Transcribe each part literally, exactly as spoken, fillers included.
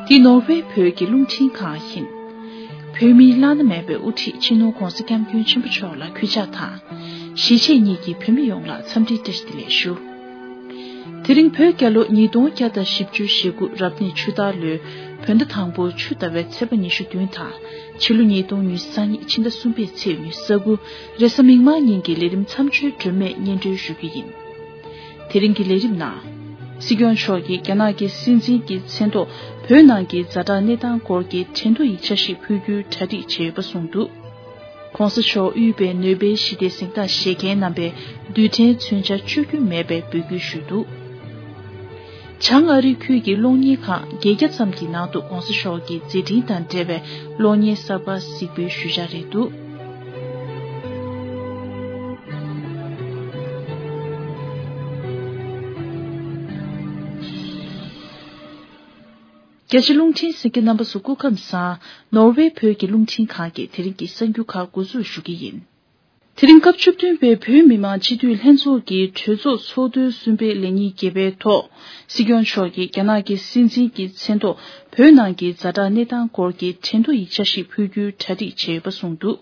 འདི་ནོར་ཝེ་བོད་ཀྱི་རླུང་འཕྲིན་ཁང་ཡིན། བོད་མིའི་བླ་ན་མེད་པའི་དབུ་ཁྲིད་སྤྱི་ནོར་༧གོང་ས་༧སྐྱབས་མགོན་ཆེན་པོ་མཆོག་ལ་གུས་ཕྱག་དང་། གཞིས་བྱེས་གཉིས་ཀྱི་བོད་མི་ཡོངས་ལ་འཚམས་འདྲིའི་བཀྲ་ཤིས་བདེ་ལེགས་ཞུ། དེ་རིང་བོད་རྒྱལ་ལོ་ཉིས་སྟོང་བརྒྱ་དང་བཞི་བཅུ་ཞེ་དགུ་རབ་གནས་ཆུ་སྟག་ལོའི་བོད་ཟླ་དང་པོའི་ཆུ་ཟླ་བའི་ཚེས་པ་ཉི་ཤུ་བདུན་དང་། ཕྱི་ལོ་ཉིས་སྟོང་ཉི་ཤུ་རྩ་གཉིས་ཕྱི་ཟླ་གསུམ་པའི་ཚེས་ཉི་ཤུ་རྩ་དགུ་རེས་གཟའ་མིག་དམར་ཉིན་གྱི་ལས་རིམ་མཚམས་གཅོད་སྒྲོན་མེ་སྙན་སྒྲོན་ཞུ་རྒྱུ་ཡིན། དེ་རིང་གི་ལས་རིམ་ནང་། སྲིད་སྐྱོང་མཆོག་གིས་རྒྱ་ནག་གི་སྲིད་འཛིན་གྱི་མཚན་ཐོག་བོད་ནང་གི་ཛ་དྲག་གནས་སྟངས་སྐོར་གྱི་གྲོས་འདུ་ཡིག་ཆ་ཞིག་ཕུལ་རྒྱུའི་གྲ་སྒྲིག་བྱས་ཡོད་པ་གསུངས་འདུག ྋགོང་ས་མཆོག་དབུས་པའི་ནོ་སྦེལ་ཞི་བདེའི་གཟེངས་རྟགས་བཞེས་མཁན་རྣམ་པའི་རྡུལ་ཕྲན་མཚོན་ཆ་བཅོས་རྒྱུ་མེད་པའི་འབོད་སྐུལ་ཞུས་འདུག་བྱང་ཨ་རི་ཁུལ་གྱི་གློག་བརྙན་ཁང་བརྒྱད་བརྒྱ་ཙམ་གྱི་ནང་དུ་ྋགོང་ས་མཆོག་གི་མཛད་འཕྲིན་དང་འབྲེལ་བའི་གློག་བརྙན་གསར་པ་གཟིགས་འབུལ་ཞུ་འཆར་རེད་འདུག་རྒྱ་ཆེ་རླུང་འཕྲིན་གསན་མཁན་རྣམ་པ་ཚོ་སྐུ་ཁམས་བཟང་། ནོར་ཝེ་བོད་ཀྱི་རླུང་འཕྲིན་ཁང་གིས་དེ་རིང་གི་གསར་འགྱུར་ཁག་འགོ་འཛུགས་ཞུ་གི་ཡིན། དེ་རིང་སྐབས་བཅུ་བདུན་པའི་བོད་མི་མང་སྤྱི་འཐུས་ལྷན་ཚོགས་ཀྱི་གྲོས་ཚོགས་ཚོགས་ཐེངས་གསུམ་པའི་ལས་ཉིན་བརྒྱད་པའི་ཐོག་སྲིད་སྐྱོང་མཆོག་གིས་རྒྱ་ནག་གི་སྲིད་འཛིན་གྱི་མཚན་ཐོག་བོད་ནང་གི་ཛ་དྲག་གནས་སྟངས་སྐོར་གྱི་གྲོས་འདུ་ཡིག་ཆ་ཞིག་ཕུལ་རྒྱུའི་གྲ་སྒྲིག་བྱས་ཡོད་པ་གསུངས་འདུག་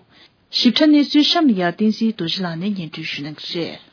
ཞིབ་ཕྲ་གནས་ཚུལ་གཤམ་ལ་ཡར་བསྟན་འཛིན་རྡོ་རྗེ་ལགས་ནས་སྙན་སྒྲོན་ཞུ་གནང་གི་རེད།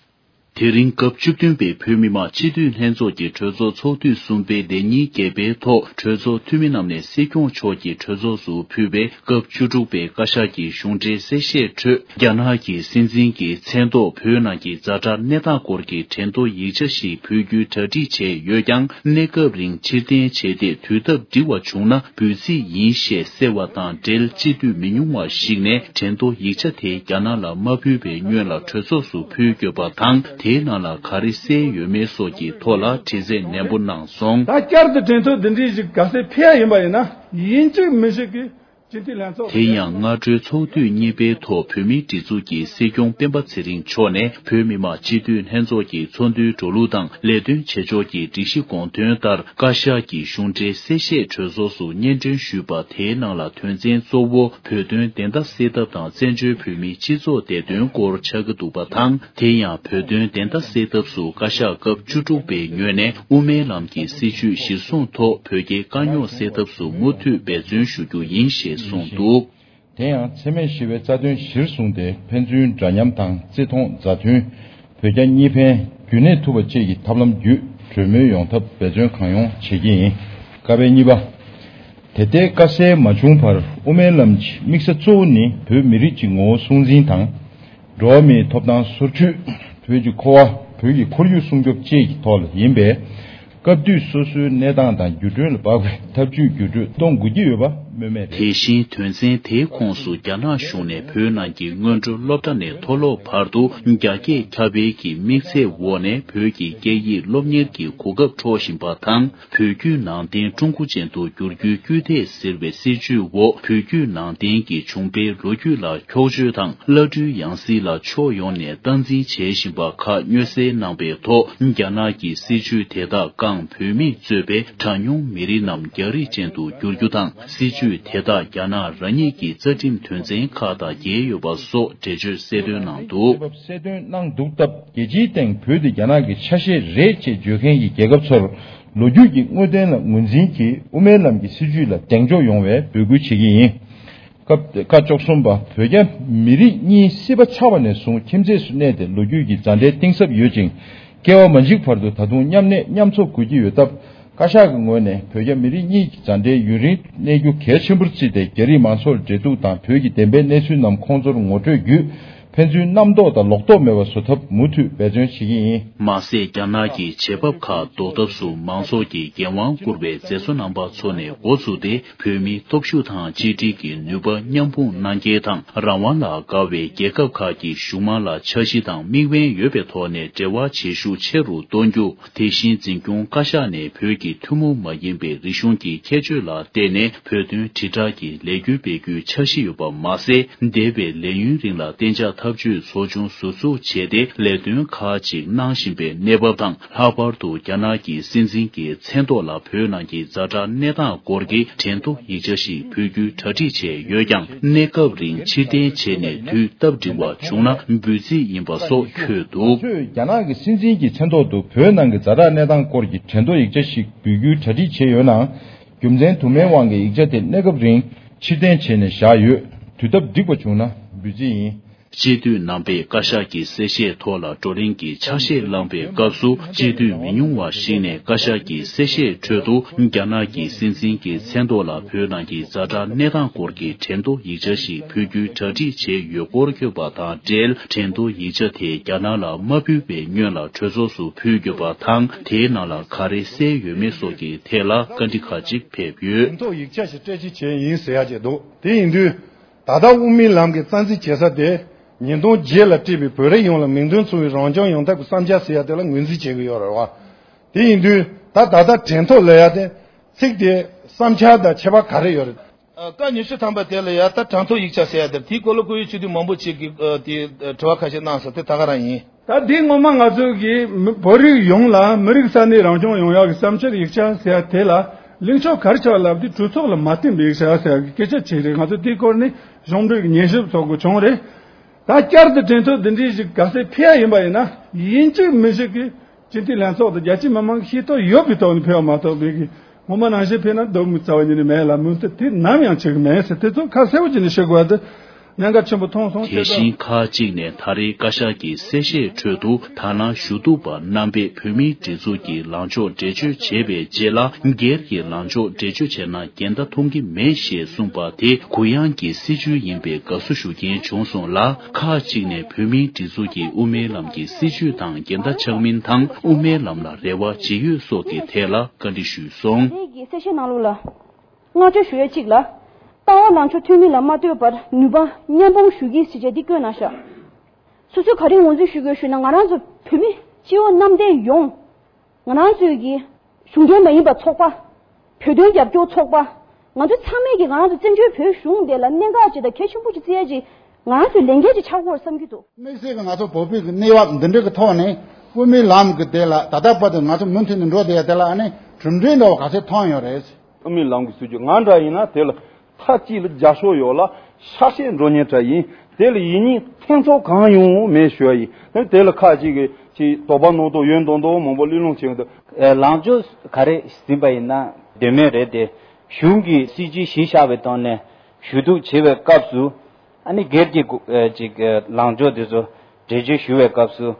དེ་རིང་སྐབས་བཅུ་བདུན་པའི་བོད་མི་མང་སྤྱི་འཐུས་ལྷན་ཚོགས་ཀྱི་གྲོས་ཚོགས་ཚོགས་དུས་གསུམ་པའི་ལས་ཉིན་བརྒྱད་པའི་ཐོག་གྲོས་ཚོགས་འཐུས་མི་རྣམས་ནས་སྲིད་སྐྱོང་མཆོག་གིས་གྲོས་ཚོགས་སུ་ཕུལ་བའི་སྐབས་བཅུ་དྲུག་པའི་བཀའ་ཤག་གི་གཞུང་འབྲེལ་གསལ་བཤད་ཁྲོད། རྒྱ་ནག་གི་སྲིད་འཛིན་གྱི་མཚན་ཐོག་བོད་ནང་གི་ཛ་དྲག་གནས་སྟངས་སྐོར་གྱི་གྲོས་འདུ་ཡིག་ཆ་ཞིག་ཕུལ་རྒྱུའི་གྲ་སྒྲིག་བྱས་ཡོད་ཀྱང་། གནས་སྐབས་རིང་ཕྱིར་འཐེན་བྱས་ཏེ། དུས་སྟབས་འགྲིག་པ་བྱུང་ན་འབུལ་རྩིས་ཡིན་ཞེས་གསལ་བ་དང་འབྲེལ། སྤྱི་འཐུས་མི་ཉུང་བ་ཞིག་ནས་གྲོས་འདུ་ཡིག་ཆ་དེ་རྒྱ་ནག་ལ་མ་ཕུལ་བའི་སྔོན་ལ་གྲོས་ཚོགས་སུ་ཕུལ་དགོས་པ་དང་། དེའི་ནང་ལ་ག་རེ་གསལ་ཡོད་མེད་སོགས་ཀྱི་ཐོག་ལ་དྲི་རྩད་ནན་པོ་གནང་སོང་། ད་བསྐྱར་དུ་གྲོས་ཚོགས་འདི་འདྲའི་ཞིག་ག་ཚོད་ཕེབས་ཡ་ཡིན་པ་ཡིན་ན། ཡིན་གཅིག་མིན་གཅིག་གི་སྤྱི་འཐུས་ལྷན་ཚོགས། དེ་ཡང་སྔ་དྲོའི་ཚོགས་དུས་གཉིས་པའི་ཐོག་བོད་མིའི་སྒྲིག་འཛུགས་ཀྱི་སྲིད་སྐྱོང་སྤེན་པ་ཚེ་རིང་མཆོག་ནས་བོད་མི་མང་སྤྱི་འཐུས་ལྷན་ཚོགས་ཀྱི་ཚོགས་འདུའི་འགྲོ་ལུགས་དང་ལས་དོན་བྱེད་ཕྱོགས་ཀྱི་སྒྲིག་གཞི་དགོངས་དོན་ལྟར། བཀའ་ཤག་གི་གཞུང་འབྲེལ་གསལ་བཤད་གྲོས་ཚོགས་སུ་སྙན་སྒྲོན་ཞུས་པ་དེའི་ནང་ལ། དོན་ཚན་གཙོ་བོ་བོད་དོན་བདེན་མཐའ་གསལ་ཐབས་དང་བཙན་བྱོལ་བོད་མིའི་སྤྱི་ཚོགས་བདེ་དོན་སྐོར་ཆགས་ཀྱི་འདུག་པ་དང་། དེ་ཡང་བོད་དོན་བདེན་མཐའ་གསལ་ཐབས་སུ་བཀའ་ཤག་སྐབས་བཅུ་དྲུག་པའི་ངོས་ནས་དབུ་མའི་ལམ་གྱི་སྲིད་བྱུས་གཞིར་བཟུང་ཐོག་བོད་རྒྱའི་དཀའ་རྙོག་སེལ་ཐབས་སུ་མུ་མཐུད་འབད་བརྩོན་ཞུ་རྒྱུ་ཡིན་ཞེས་གསུངས་འདུག། དེ་ཡང་འཚེ་མེད་ཞི་བའི་རྩ་དོན་གཞིར་བཟུང་སྟེ། ཕན་ཚུན་འདྲ་མཉམ་དང་བརྩི་མཐོང་མཛའ་མཐུན། བོད་རྒྱ་གཉིས་ཕན་རྒྱུན་གནས་ཐུབ་པ་བཅས་ཀྱི་ཐབས་ལམ་བརྒྱུད་གྲོས་མོལ་ཡོང་ཐབས་འབད་བརྩོན་གང་ཡོང་བྱེད་ཀྱི་ཡིན། ཀ་པའི་གཉིས་པ། དེ་ལྟའི་དཀའ་སེལ་མ་བྱུང་བར་དབུ་མའི་ལམ་གྱི་དམིགས་ས་གཙོ་བོ་ནི་བོད་མི་རིགས་ཀྱི་ངོ་བོ་སྲུང་འཛིན་དང་། འགྲོ་བ་མིའི་ཐོབ་ཐང་སོར་ཆུད། བོད་ཀྱི་འཁོར་བ། བོད་ཀྱི་ཁོར་ཡུག་སྲུང་སྐྱོབ་བཅས་ཀྱི་ཐོག་ལ་ཡིན་པས། སྐབས་དུས་སོ་སོའི་གནས་སྟངས་དང་འགྱུར་འགྲོས་ལ་དཔག་པའི་ཐབས་ཇུས་བརྒྱུད་སྤྲོད་གཏོང་དགོས་ཀྱི་ཡོད་པ་སྨོས་མེད་རེད། དེ་བཞིན་དོན་ཚན་དེའི་ཁོངས་སུ་རྒྱ་ནག་གཞུང་ནས་བོད་ནང་གི་སྔོན་འགྲོ་སློབ་གྲྭ་ནས་མཐོ་སློབ་བར་དུ་རྒྱ་སྐད་ཁྱབ་སྤེལ་གྱི་དམིགས་ཚད་འོག་ནས་བོད་ཀྱི་སྐད་ཡིག་སློབ་གཉེར་གྱི་གོ་སྐབས་འཕྲོག་བཞིན་པ་དང་། བོད་བརྒྱུད་ནང་བསྟན་ཀྲུང་གོ་ཅན་དུ་བསྒྱུར་རྒྱུའི་སྐུལ་འདེད་ཟེར་བའི་སྲིད་བྱུས་འོག་བོད་བརྒྱུད་ནང་བསྟན་གྱི་བྱུང་འཕེལ་ལོ་རྒྱུས་ལ་འཁྱོག་བརྗོད་དང་། བླ་སྤྲུལ་ཡང་སྲིད་ལ་ཕྱོགས་ཡོངས་ནས་སྟངས་འཛིན་བྱེད་བཞིན་པ་ཁག་སྙན་སེང་གནང་པའི་ཐོག་རྒྱ་ནག་གི་སྲིད་བྱུས་དེ་དག་བཀང་། བོད་མིས་གཙོས་པའི་གྲངས་ཉུང་མི་རིགས་རྣམས་རྒྱ་རིགས་ཅན་དུ་བསྒྱུར་རྒྱུ་དང་། སྲིད་བྱུས་དེ་དག་རྒྱ་ནག་རང་ཉིད་ཀྱི་རྩ་ཁྲིམས་དོན་ཚན་ཁག་དང་འགལ་ཡོད་པ་སོགས་འགྲེལ་བརྗོད་གསལ་སྟོན་གནང་འདུག། གསལ་སྟོན་གནང་འདུག་སྟབས། རྒྱལ་སྤྱིའི་སྟེང་བོད་དེ་རྒྱ་ནག་གི་ཆ་ཤས་རེད་ཅེས་བརྗོད་མཁན་གྱི་རྒྱལ་ཁབ་ཚོར། ལོ་རྒྱུས་ཀྱི་དངོས་དོན་ལ་ངོས་འཛིན་གྱིས་དབུ་མའི་ལམ་གྱི་སྲིད་བྱུས་ལ་གདེང་འཇོག་ཡོང་བའི་འབོད་སྐུལ་བྱེད་ཀྱི་ཡིན། སྐབས་ཁ་བཅུ་གསུམ་པ། བོད་རྒྱ་མི་རིགས་གཉིས་སྲིད་པ་ཆགས་པ་ནས་བཟུང་ཁྱིམ་མཚེས་སུ་གནས་ཏེ་ལོ་རྒྱུས་ཀྱི་མཛའ་འབྲེལ་གཏིང་ཟབ་ཡོད་ཅིང་། སྐྱེ་བ་མ་འཇིག་བར་དུ་ད་དུང་མཉམ་གནས་མཉམ་འཚོ་དགོས་ཀྱི་ཡོད་སྟབས། བཀའ་ཤག་གི་ངོས་ནས་བོད་རྒྱ་མི་རིགས་གཉིས་ཀྱི་མཛའ་འབྲེལ་ཡུན་རིང་གནས་རྒྱུ་གལ་ཆེན་པོར་བརྩིས་ཏེ། རྒྱ་རིགས་མང་ཚོགས་འབྲེལ་གཏུག་དང་། བོད་ཀྱི་བདེན་པའི་གནས་ཚུལ་རྣམས་ཁོང་ཚོར་ངོ་སྤྲོད་བརྒྱུད། ཕན་ཚུན་རྣམ་རྟོག་དང་ལོག་རྟོག་མེད་པར་བཟོ་ཐབས་མུ་མཐུད་འབད་བརྩོན་བྱེད་ཀྱི་ཡིན། མ་ཟད། རྒྱ་ནག་གི་བྱེད་བབ་ཁག་ཟློག་ཐབས་སུ་མང་ཚོགས་ཀྱིས་འགན་དབང་བསྐུར་བའི་མཛད་གཙོ་རྣམ་པ་ཚོ་ནས་འགོ་བཙུགས་ཏེ། བོད་མིའི་སྟོབས་ཤུགས་དང་གཅིག་སྒྲིལ་གྱི་ནུས་པ་མཉམ་སྤུངས་གནང་གལ་དང་། རང་དབང་ལ་དགའ་བའི་རྒྱལ་ཁབ་ཁག་གི་གཞུང་མང་ལ་འཆར་གཞི་དང་དམིགས་འབེན་ཡོད་པའི་ཐོག་ནས་འབྲེལ་བ་བྱེད་ཤུགས་ཆེ་རུ་གཏོང་རྒྱུ། དེ་བཞིན་འཛིན་སྐྱོང་བཀའ་ཤག་ནས་བོད་ཀྱི་ཐུན་མོང་མ་ཡིན་པའི་རིག་གཞུང་གི་ཁྱད་ཆོས་ལ་བརྟེན་ནས་བོད་དོན་དྲིལ་བསྒྲགས་ཀྱི་ལས་འགུལ་སྤེལ་རྒྱུའི་འཆར་གཞི་ཡོད་པ་མ་ཟད། འདས་པའི་ལས་ཡུན་རིང་ལ་གཏན་འཇགས་ཐབས་ཇུས་ཚོགས་ཆུང་ཟུར་འཛུགས་བྱས་ཏེ། ལས་དོན་ཁག་ཅིག་གནང་བཞིན་པའི་གནས་བབ་དང་། ལྷག་པར་དུ་རྒྱ་ནག་གི་སྲིད་འཛིན་གྱི་མཚན་ཐོག་ལ་བོད་ནང་གི་ཛ་དྲག་གནས་སྟངས་སྐོར་གྱི་གྲོས་ཐོ་ཡིག་ཆ་ཞིག་ཕུལ་རྒྱུའི་གྲ་སྒྲིག་བྱས་ཡོད་ཀྱང་། གནས་སྐབས་རིང་ཕྱིར་འཐེན་བྱས་ནས་དུས་སྟབས་འགྲིག་པ་བྱུང་ན་འབུལ་རྩིས་ཡིན་པ་སོགས་འཁོད་འདུག། ཁྱོད་རྒྱ་ནག་གི་སྲིད་འཛིན་གྱི་མཚན་ཐོག་ཏུ་བོད་ནང་གི་ཛ་དྲག་གནས་སྟངས་སྐོར་གྱི་གྲོས་ཐོ་ཡིག་ཆ་ཞིག་འབུལ་རྒྱུའི་གྲ་སྒྲིག་བྱས་ཡོད་ན། རྒྱུ་མཚན་དུ་མའི་དབང་གིས་ཡིག་ཆ་དེ་གནས་སྐབས་རིང་ཕྱིར་འཐེན་བྱས་ནས་བཞག་ཡོད། དུས་སྟབས་འགྲིག་པ་བྱུང་ན་འབུལ་རྩིས་ཡིན། སྤྱི་འཐུས་རྣམ་པས་བཀའ་ཤག་གི་གསལ་བཤད་ཐོག་ལ་བགྲོ་གླེང་གི་ཆ་ཤས་བླངས་པའི་སྐབས་སུ། སྤྱི་འཐུས་མི་ཉུང་བ་ཞིག་ནས་བཀའ་ཤག་གི་གསལ་བཤད་ཁྲོད་དུ། རྒྱ་ནག་གི་སྲིད་འཛིན་གྱི་མཚན་ཐོག་ལ་བོད་ནང་གི་ཛ་དྲག་གནས་སྟངས་སྐོར་གྱི་དྲན་ཐོ་ཡིག་ཆ་ཞིག་ཕུལ་རྒྱུའི་གྲ་སྒྲིག་བྱས་ཡོད་སྐོར་བཀོད་པ་དང་འབྲེལ། དྲན་ཐོ་ཡིག་ཆ་དེ་རྒྱ་ནག་ལ་མ་ཕུལ་བའི་སྔོན་ལ་གྲོས་ཚོགས་སུ་ཕུལ་དགོས་པ་དང་། དེའི་ནང་ལ་ག་རེ་གསལ་ཡོད་མེད་སོགས་ཀྱི་ཐད་ལ་བཀའ་འདྲི་ཁག་ཅིག་ཕེབས་ཡོད། དྲན་ཐོ་ཡིག་ཆ་ཞིག་སྤྲད་རྩིས་བྱས་ཡིན་ཟེར་ཡ་ཅིག་འདུག་དེ་ཡིན་དུས། ད་ལྟ་དབུ་མའི་ལམ་གྱི་རྩ་འཛིན་བྱེད་ས་དེ། ཉིས་སྟོང་བརྒྱད་ལ་བཀྲིས་པའི་བོད་རིགས་ཡོངས་ལ་མིང་དོན་མཚུངས་པའི་རང་སྐྱོང་ཡོང་ཐབས་ཀྱི་བསམ་འཆར་ཟེར་ཡ་དེ་ལ་ངོས་འཛིན་བྱེད་ཀྱི་ཡོད་རེད་བ། དེ་ཡིན་དུས་ད་ད་ལྟ་དྲན་ཐོ་ལབ་ཡ་དེ། ཚིག་དེ་བསམ་འཆར་དང་ཁྱད་པར་ག་རེ་ཡོད་རེད། ཨ། བཀའ་ཉི་ཤུ་ཐམ་པ་དེ་ལ་ཡ་ད་དྲན་ཐོ་ཡིག་ཆ་ཟེར་ཡ་དེ་དེའི་སྐོར་ལ་བཀུར་འོས་སྤྱི་འཐུས་མང་པོ་ཅིག་གིས་ཨ་དེ་ཨ་དྲི་བ་ཁ་ཤས་གནང་སོང་། དེ་ད་ག་རང་ཡིན། ད་འདི་སྔོན་མ་ང་ཚོ་གིས་མི་བོད་རིགས་ཡོངས་ལ་མི་རིགས་ས་གནས་རང་སྐྱོང་ཡོང་ཡག་གི་བསམ་འཆར་ཡིག་ཆ་ཟེར་ཡ་དེ་ལ་ལེགས་ཕྱོགས་ག་རེ་ཆགས་ལབ་དུས་གྲོས་ཚོགས་ལ་མ་བསྟན་པའི་ཡིག་ཆ་ཟེར་ཡ་གི་སྐད་ཆ་ཅིག་རེད། ང་ཚོ་དེའི་སྐོར་ནས་གཞུང་འབྲེལ་གྱི་ཉན་ཞིབ་ཚོགས་དགོས་བྱུང་རེད། ད་བསྐྱར་དུ་དྲན་ཐོ་འདི་འདྲའི་ཞིག་ག་ཚད་ཕུལ་ཡ་ཡིན་པ་ཡིན་ན་ཡིན་གཅིག་མིན་གཅིག་གིས་སྤྱི་འཐུས་ལྷན་ཚོགས་དང་རྒྱ་ཆེའི་མི་མང་གི་ཤེས་རྟོགས་ཡོད་པའི་ཐོག་ནས་ཕུལ་བ་མ་གཏོགས་པའི་གི་ངོ་མ་ནང་བཞིན་ཕུལ་ན་སྡུག་མི་རྩ་བ་ཉིད་ནས་མེད་ལ། མུ་མཐུད་དེ་ནམ་ཡང་བྱེད་གི་མེད་ཟེར། དེ་ཚོ་ཁ་གསལ་པོ་བྱས་ནས་ཤོད་དགོས་པ་དེ་གནད་འགག་ཆེན་པོ་མཐོང་སོང་། དེ་བྱས་ཙང་། བཞིན་ཁག་ཅིག་ནས་ད་རེས་བཀའ་ཤག་གི་གསལ་བཤད་ཁྲོད་དུ། ད་ནང་ཞུ་གཏུག་པ་རྣམ་པས་བོད་མིའི་སྒྲིག་འཛུགས་ཀྱི་ལངས་ཕྱོགས་འགྲེལ་བརྗོད་བྱས་པའི་རྗེས་ལ། སྒེར་གྱི་ལངས་ཕྱོགས་འགྲེལ་བརྗོད་བྱས་ན་འགལ་ཟླ་མཐོང་གི་མེད་ཞེས་གསུངས་པ་དེ་གུ་ཡངས་ཀྱི་སྲིད་བྱུས་ཡིན་པའི་དགའ་བསུ་ཞུ་མཁན་བྱུང་སོང་ལ། ཁག་ཅིག་ནས་བོད་མིའི་སྒྲིག་འཛུགས་ཀྱི་དབུ་མའི་ལམ་གྱི་སྲིད་བྱུས་དང་འགལ་ཟླ་ཆགས་མིན་དང་། དབུ་མའི་ལམ་ལ་རེ་བ་ཇི་ཡོད་སོགས་ཀྱི་ཐད་ལ་བཀའ་འདྲི་ཞུས་སོང་། རེད་ཀྱི་གསལ་བཤད་ནང་ལོགས་ལ། བསྔགས་བརྗོད་ཞུ་ཡས་གཅིག་ལ། ལྟ་བ་ལངས་ཕྱོགས་མཐུན་མིན་ལ་མ་ལྟོས་པར་ནུས་པ་མཉམ་སྤུངས་ཞུ་གི་ཟེར་བྱས་འདི་བཀོད་གནང་ཤག་སོ་སོས་ག་རེ་ངོས་འཛིན་ཞུ་དགོས་ཞུས་ན། ང་རང་ཚོ་བོད་མི་སྤྱི་བོ་གནམ་བསྟན་ཡོངས། ང་རང་ཚོའི་གི་གཞུང་འབྲེལ་མ་ཡིན་པ་ཚོགས་པ། བོད་དོན་རྒྱབ་སྐྱོར་ཚོགས་པ། ང་ཚོ་ཚང་མས་ཀྱི་ང་རང་ཚོ་བཙན་བྱོལ་བོད་གཞུང་དེ་ལ་གནད་འགག་ཅིག་དང་གལ་ཆེན་པོ་ཅིག་བརྩི་ཡ་ཅིག་ང་རང་ཚོའི་ལས་འགན་ཅིག་ཆགས་ཀྱི་ཡོད་བསམ་གྱི་འདུག་དམིགས་བསལ་གྱི་ང་ཚོ་བོད་པའི་གི་གནས་བབ་འདི་འདྲ་གི་ཐོག་ནས་དབུ་མའི་ལམ་གི་དེ་ལ་ད་ལྟ་བར་དུ་ང་ཚོ་མུ་མཐུད་ནས་འགྲོ་བསྡད་ཡ་དེ་ལ་ཨ་ནི་གྲུབ་འབྲས་འདྲ་བ་ག་ཚོད་ཐོན་ཡོད་རེད། དབུ་མའི་ལམ་གྱི་སྲིད་བྱུས་ང་འདྲ་ཡིན་ན་དེ་ལ་མཐའ་གཅིག་ལ་རྒྱབ་སྐྱོར་ཡོད་ལ་ཤ་ཤེད་འགྲོ་མཁན་འདྲ་ཡིན། དེ་ལ་ཡིན་ཉིན་ཐེ་ཚོམ་གང་ཡོང་མེད་ཞུ་བ་ཡིན། དེ་ལ་ཁ་ཅིག་གིས་ཅིག་དོགས་པ་སྣང་དོགས་ཡོད་མདོག་མདོག་མང་པོ་གླེང་སློང་བྱེད་ཀྱི་འདུག་ཨེ། ལངས་ཕྱོགས་ག་རེ་ཟིན་པ་ཡིན་ན་དོན་མེད་རེད་དེ། གཞུང་གི་སྲིད་བྱུས་གཞི་བཞག་པའི་ཐོག་ནས་ཞུ་གཏུག་བྱེད་པའི་སྐབས་སུ། ཨ་ནི་སྒེར་གྱི་གོ་ཨེ་ཅིག་ཨེ་ལངས་ཕྱོགས་དེ་ཚོ་འགྲེལ་བརྗོད་ཞུ་བའི་སྐབས་སུ།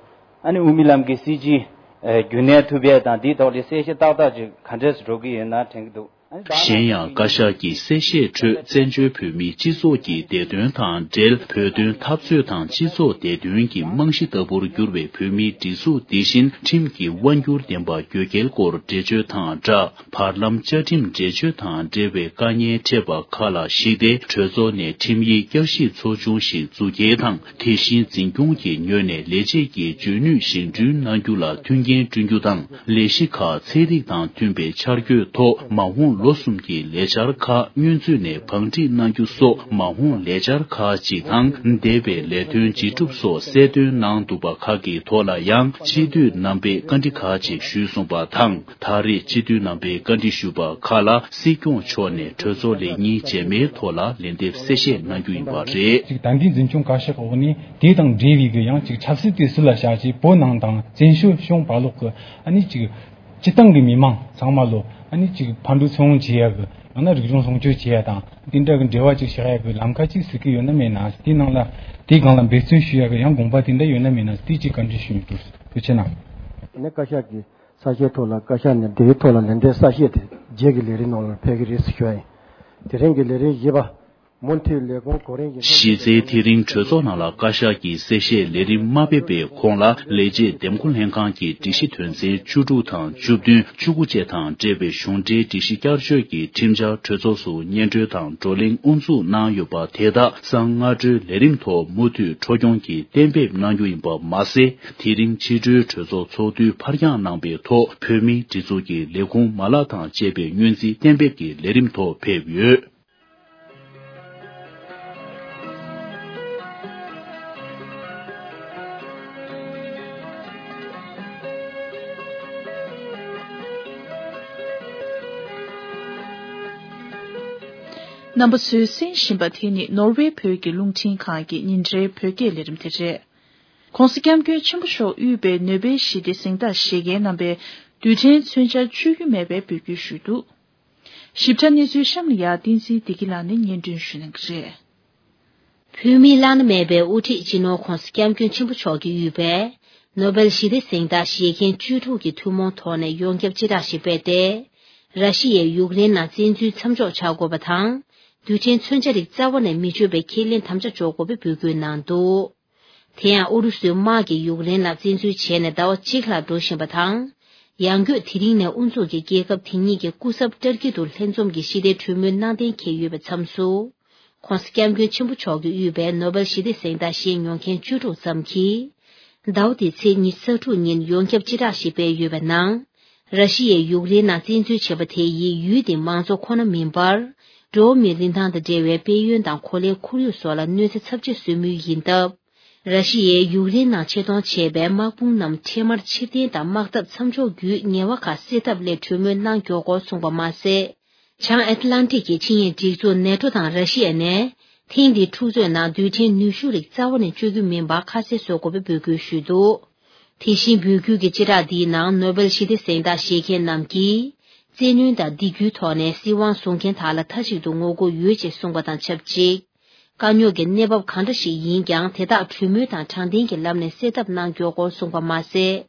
ཨ་ནི་དབུ་མའི་ལམ་གྱི་སྲིད་བྱུས་ཨེ་རྒྱུན་གནས་ཐུབ་ཡས་དང་དེའི་ཐོག་ལ་གསལ་བཤད་ཏག་ཏག་ཅིག་ག་འདྲས་སུ་འགྲོ་གི་ཡོད་ན་དྲན་གྱི་འདུག་གཞན་ཡང་བཀའ་ཤག་གི་གསལ་བཤད་ཁྲོད་བཙན་བྱོལ་བོད་མིའི་སྤྱི་ཚོགས་ཀྱི་བདེ་དོན་དང་འབྲེལ། བོད་དོན་འཐབ་རྩོད་དང་སྤྱི་ཚོགས་བདེ་དོན་གྱི་རྨང་གཞི་ལྟ་བུར་གྱུར་བའི་བོད་མིའི་སྒྲིག་འཛུགས་འདི་བཞིན་ཁྲིམས་ཀྱི་དབང་སྒྱུར་ལྡན་པ་དགོས་གལ་སྐོར་འགྲེལ་བརྗོད་དང་སྦྲགས། བར་ལམ་བཅའ་ཁྲིམས་འགྲེལ་བརྗོད་དང་འབྲེལ་བའི་དཀའ་ངལ་འཕྲད་པ་ཁག་ལ་གཞིགས་ཏེ། གྲོས་ཚོགས་ནས་ཁྲིམས་ཡིག་བསྐྱར་ཞིབ་ཚོགས་ཆུང་ཞིག་བཙུགས་རྒྱུ་དང་། དེ་བཞིན་འཛིན་སྐྱོང་གི་ངོས་ནས་ལས་བྱེད་ཀྱི་འཇོན་ནུས་བཞེངས་སྐྲུན་གནང་རྒྱུ་ལ་མཐུན་རྐྱེན་བསྐྲུན་རྒྱུ་དང་། ལས་གཞི་ཁག་ཚན་རིག་དང་མཐུན་པའི་འཆར་འགོད་ཐོག་མ་འོངས་ལོ་གསུམ་གྱི་ལས་འཆར་ཁག་སྔོན་ཚུད་ནས་བང་སྒྲིག་གནང་རྒྱུ་སོགས་མ་འོངས་ལས་འཆར་ཁག་ཅིག་དང་། འདས་པའི་ལས་དོན་ཇི་སྒྲུབ་སོགས་གསལ་སྟོན་གནང་འདུག་པ་ཁག་གི་ཐོག་ལ་ཡང་སྤྱི་འཐུས་རྣམ་པས་བཀའ་འདྲི་ཁག་ཅིག་ཞུས་སོང་པ་དང་། ད་རེས་སྤྱི་འཐུས་རྣམ་པས་བཀའ་འདྲི་ཞུས་པ་ཁག་ལ་སྲིད་སྐྱོང་མཆོག་ནས་གྲོས་ཚོགས་ལས་ཉིན་རྗེས་མའི་ཐོག་ལ་ལན་འདེབས་གསལ་བཤད་གནང་རྒྱུ་ཡིན་པ་རེད། ཅིག་ད་ལྟའི་འཛིན་སྐྱོང་བཀའ་ཤག་འོག་ནས་དེ་དང་འབྲེལ་བའི་གི་ཡང་ཅིག་ཆབ་སྲིད་དེ་སུ་ལ་བཞག་ཅིག་བོད་ནང་དང་བཙན་བྱོལ་གཞུང་བར་ལོག་གི་ཨ་ནི་ཅིག་སྤྱི་བཏང་གི་མི་མང་ཚང་མ་ལོ་ཨ་ནི་ཅིག་ཕར་འགྲོ་ཚུར་འོང་བྱེད་ཡ་གི་ཡང་ན་རིག་གཞུང་སྲུང་སྐྱོབ་བྱེད་ཡ་དང་དེ་འདྲ་གི་འབྲེལ་བ་ཅིག་བཞག་ཡ་གི་ལམ་ཁ་ཅིག་ཟེར་གི་ཡོད་ན་མེད་ན། དེའི་ནང་ལ་དེའི་སྒང་ལ་འབད་བརྩོན་ཞུ་ཡ་གི་ཡང་དགོངས་པ་དེ་འདྲ་ཡོད་ན་མེད་ན་དེ་ཅིག་བཀའ་འདྲི་ཞུ་ཡིན། ཐུགས་རྗེ་ཆེ་གནང་། ནས་བཀའ་ཤག་གི་གསལ་བཤད་ཐོག་ལ་བཀའ་ཤག་ནས་དེའི་ཐོག་ལ་ལན་འདེབས་གསལ་བཤད་དེ་རྗེས་ཀྱི་ལས་རིམ་ནང་ལ་ཕེབས་ཀྱི་རེད་ཟེར་ཞུ་བ་ཡིན། དེ་རིང་གི་ལས་རིམ་བཞི་པ། མུ་མཐུད་ལས་ཁུངས་གོ་རིམ་གྱི། གཞི་རྩའི་དེ་རིང་གྲོས་ཚོགས་ནང་ལ་བཀའ་ཤག་གི་གསལ་བཤད་ལས་རིམ་མ་ཕེབས་པའི་གོང་ལ་ལས་བྱེད་འདེམས་བསྐོ་ལྷན་ཁང་གི་སྒྲིག་གཞི་དོན་ཚན་བཅུ་དྲུག་དང་བཅུ་བདུན། བཅུ་དགུ་བཅས་དང་འབྲེལ་བའི་གཞུང་འབྲེལ་སྒྲིག་གཞི་བསྐྱར་བཅོས་ཀྱི་ཁྲིམས་འཆར་གྲོས་ཚོགས་སུ་སྙན་སྒྲོན་དང་བགྲོ་གླེང་དབུ་འཛུགས་གནང་ཡོད་པ་དེ་དག་གསང་སྔ་དྲོའི་ལས་རིམ་ཐོག་མུ་མཐུད་འཕྲོ་སྐྱོང་གིས་གཏན་འབེབས་གནང་རྒྱུ་ཡིན་པ་མ་ཟད། དེ་རིང་ཕྱི་དྲོའི་གྲོས་ཚོགས་ཚོགས་དུས་ཕར་འགྱངས་གནང་པའི་ཐོག་བོད་མིའི་སྒྲིག་འཛུགས་ཀྱི་ལས་ཁུངས་མ་ལག་དང་བཅས་པའི་སྔོན་རྩིས་གཏན་འབེབས་ཀྱི་ལས་རིམ་ཐོག་ཕེབས་ཡོད། རྣམ་པ་ཚོས་གསན་བཞིན་པ་དེ་ནི་ནོར་ཝེ་བོད་ཀྱི་རླུང་འཕྲིན་ཁང་གི་ཉིན་རེའི་བོད་སྐད་ལས་རིམ་དེ་རེད། ༸གོང་ས་༸སྐྱབས་མགོན་ཆེན་པོ་མཆོག་དབུས་པའི་ནོ་བེལ་ཞི་བདེ་གཟེངས་རྟགས་བཞེས་མཁན་རྣམ་པས་རྡུལ་ཕྲན་མཚོན་ཆ་གཅོད་རྒྱུ་མེད་པའི་འབོད་སྐུལ་ཞུས་འདུག་ཞིབ་ཕྲ་གནས་ཚུལ་གཤམ་ལ་ཡ་བསྟན་འཛིན་བདེ་སྐྱིད་ལགས་ནས་སྙན་སྒྲོན་ཞུ་གནང་གི་རེད། བོད་མིའི་བླ་ན་མེད་པའི་དབུ་ཁྲིད་སྤྱི་ནོར་༧གོང་ས་༧སྐྱབས་མགོན་ཆེན་པོ་མཆོག་གིས་དབུས་པའི་ནོ་བེལ་ཞི་བདེ་གཟེངས་རྟགས་བཞེས་མཁན་བཅུ་དྲུག་གི་ཐུན་མོང་ཐོག་ནས་ཡོངས་ཁྱབ་སྤྱི་བསྒྲགས་ཤིག་སྤེལ་ཏེ། ར་ཤི་ཡས་ཡུཀ་རེན་ནང་བཙན་འཛུལ་མཚམས་འཇོག་བྱ་དགོས་པ་དང་། རྡུལ་ཕྲན་མཚོན་ཆ་རིགས་རྩ་བ་ནས་མི་སྤྱོད་པའི་ཁས་ལེན་དམ་བཅའ་འཇོག་དགོས་པའི་འབོད་སྐུལ་གནང་འདུག་དེ་ཡང་ཨུ་རུ་སུའི་དམག་གིས་ཡུཀ་རེན་ལ་བཙན་འཛུལ་བྱས་ནས་ཟླ་བ་གཅིག་ལྷག་འགྲོ་བཞིན་པ་དང་། ཡང་སྒོས་དེ་རིང་ནས་དབུ་འཛུགས་ཀྱིས་རྒྱལ་ཁབ་དེ་གཉིས་ཀྱི་སྐུ་ཚབ་ཏར་ཀི་དུ་ལྷན་འཛོམས་ཀྱི་ཞི་བདེའི་གྲོས་མོལ་གནང་གཏན་འཁེལ་ཡོད་པའི་མཚམས་སུ། ྋགོང་ས་ྋསྐྱབས་མགོན་ཆེན་པོ་མཆོག་གིས་དབུས་པའི་ནོ་བེལ་ཞི་བདེ་གཟེངས་རྟགས་བཞེས་མྱོང་མཁན་བཅུ་དྲུག་ཙམ་གྱིས། ཟླ་བ་འདིའི་ཚེས་ཉི་ཤུ་རྩ་དྲུག་ཉིན་ཡོངས་ཁྱབ་སྤྱི་བསྒྲགས་ཤིག་སྤེལ་ཡོད་པའི་ནང་། ར་ཤི་ཡས་ཡུཀ་རེན་ནང་བཙན་འཛུལ་བྱས་པ་དེ་ཡིས་ཡུལ་དེའི་མང་གཙོ་ཁོ་ན་མིན་པར། འགྲོ་བ་མིའི་རིན་ཐང་དང་འབྲེལ་བའི་དཔལ་ཡོན་དང་གོ་ལའི་ཁོར་ཡུག་སོགས་ལ་གནོད་འཚེ་ཚབས་ཆེ་བཟོ་མུས་ཡིན་སྟབས། ར་ཤི་ཡས་ཡུཀ་རེན་ནང་ཆེད་གཏོང་བྱས་པའི་དམག་དཔུང་རྣམས་འཕྲལ་མར་ཕྱིར་འཐེན་དང་དམག་འཐབ་མཚམས་འཇོག་བརྒྱུད་ངལ་བ་ཁག་སེལ་ཐབས་སླད་གྲོས་མོལ་གནང་མགྱོགས་སྐོར་གསུངས་པ་མ་ཟད། བྱང་ཨེཊ་ལན་ཊིག་གི་ཆིངས་ཡིག་སྒྲིག་འཛུགས་ནེ་ཊོ་དང་ར་ཤི་ཡ་ནས། ཐེངས་འདིའི་འཁྲུག་རྩོད་ནང་རྡུལ་ཕྲན་ནུས་ཤུགས་རིགས་རྩ་བ་ནས་སྤྱོད་རྒྱུ་མིན་པ་ཁ་གསལ་བཟོ་དགོས་པའི་འབོད་སྐུལ་ཞུས་འདུག་དེ་བཞིན་འབོད་སྐུལ་གྱི་སྤྱི་བསྒྲགས་འདིའི་ནང་ནོ་བེལ་ཞི་བདེ་གཟེངས་རྟགས་བཞེས་མཁན་རྣམས་ཀྱིས། བཙན་གནོན་དང་སྡིགས་སྐུལ་ཐོག་ནས་སྲིད་དབང་བཟུང་མཁན་དག་ལ་མཐའ་གཅིག་ཏུ་ངོ་རྒོལ་ཡོད་ཅེས་གསུངས་པ་དང་ཆབས་ཅིག་དཀའ་རྙོག་གི་གནས་བབ་གང་འདྲ་ཞིག་ཡིན་ཀྱང་དེ་དག་གྲོས་མོལ་དང་དྲང་བདེན་གྱི་ལམ་ནས་སེལ་ཐབས་གནང་མགྱོགས་སྐོར་གསུངས་པ་མ་ཟད།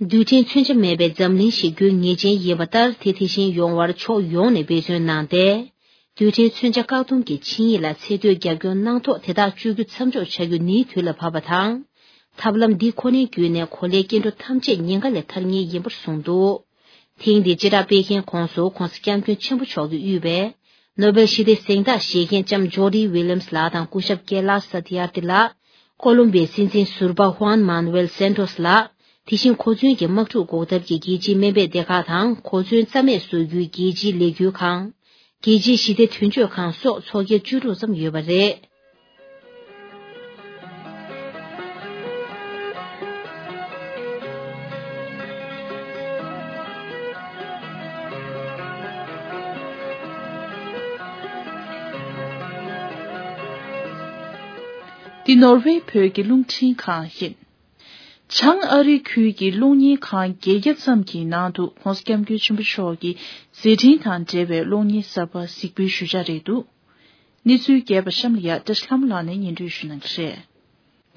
རྡུལ་ཕྲན་མཚོན་ཆ་མེད་པའི་འཛམ་གླིང་ཞིག་དགོས་ངེས་ཅན་ཡིན་པ་ལྟར་དེ་དེ་བཞིན་ཡོང་བར་ཕྱོགས་ཡོངས་ནས་འབད་བརྩོན་གནང་སྟེ། རྡུལ་ཕྲན་མཚོན་ཆ་བཀག་སྡོམ་གྱི་ཆིངས་ཡིག་ལ་ཚད་མཐོའི་རྒྱབ་སྐྱོར་གནང་ཐོག་དེ་དག་སྤྱོད་རྒྱུ་མཚམས་འཇོག་བྱ་རྒྱུ་ནིའི་དུས་ལ་བབ་པ་དང་། ཐབས་ལམ་འདི་ཁོ་ནའི་བརྒྱུད་ནས་གོ་ལའི་སྐྱེ་འགྲོ་ཐམས་ཅད་ཉེན་ཁ་ལས་ཐར་ངེས་ཡིན་པར་གསུངས་འདུག་ཐེངས་འདིའི་སྤྱི་བསྒྲགས་སྤེལ་མཁན་ཁོངས་སུ་ྋགོང་ས་ྋསྐྱབས་མགོན་ཆེན་པོ་མཆོག་གིས་དབུས་པའི་ནོ་བེལ་ཞི་བདེའི་གཟེངས་རྟགས་བཞེས་མཁན་ལྕམ་ཇོ་ཌི་ཝི་ལི་ཡམ་སི་ལགས་དང་སྐུ་ཞབས་ཀེ་ལ་ས་ཏི་ཡར་ཏི་ལགས། ཀོ་ལོམ་བིའི་སྲིད་འཛིན་ཟུར་པ་ཧུའན་མཱན་ཝེལ་སན་ཏོས་ལགས། དེ་བཞིན་གོ་མཚོན་གྱི་དམག་འཁྲུག་འགོག་ཐབས་ཀྱི་རྒྱལ་སྤྱིའི་སྨན་པའི་སྡེ་ཁག་དང་གོ་མཚོན་རྩ་མེད་བཟོ་རྒྱུའི་རྒྱལ་སྤྱིའི་ལས་འགུལ་ཁང་། རྒྱལ་སྤྱིའི་ཞི་བདེ་དོན་གཅོད་ཁང་སོགས་ཚོགས་སྒེར་བཅུ་དྲུག་ཙམ་ཡོད་པ་རེད། འདི་ནོར་ཝེ་བོད་ཀྱི་རླུང་འཕྲིན་ཁང་ཡིན། བྱང་ཨ་རི་ཁུལ་གྱི་གློག་བརྙན་ཁང་བརྒྱད་བརྒྱ་ཙམ་གྱི་ནང་དུ་༧གོང་ས་༧སྐྱབས་མགོན་ཆེན་པོ་མཆོག་གི་མཛད་འཕྲིན་དང་འབྲེལ་བའི་གློག་བརྙན་གསར་པ་གཟིགས་འབུལ་ཞུ་འཆར་རེད་འདུག་གནས་ཚུལ་རྒྱས་པ་གཤམ་ལ་ཡ་བཀྲ་ཤིས་ལྷ་མོ་ལགས་ནས་སྙན་སྒྲོན་ཞུ་གནང་གི་རེད།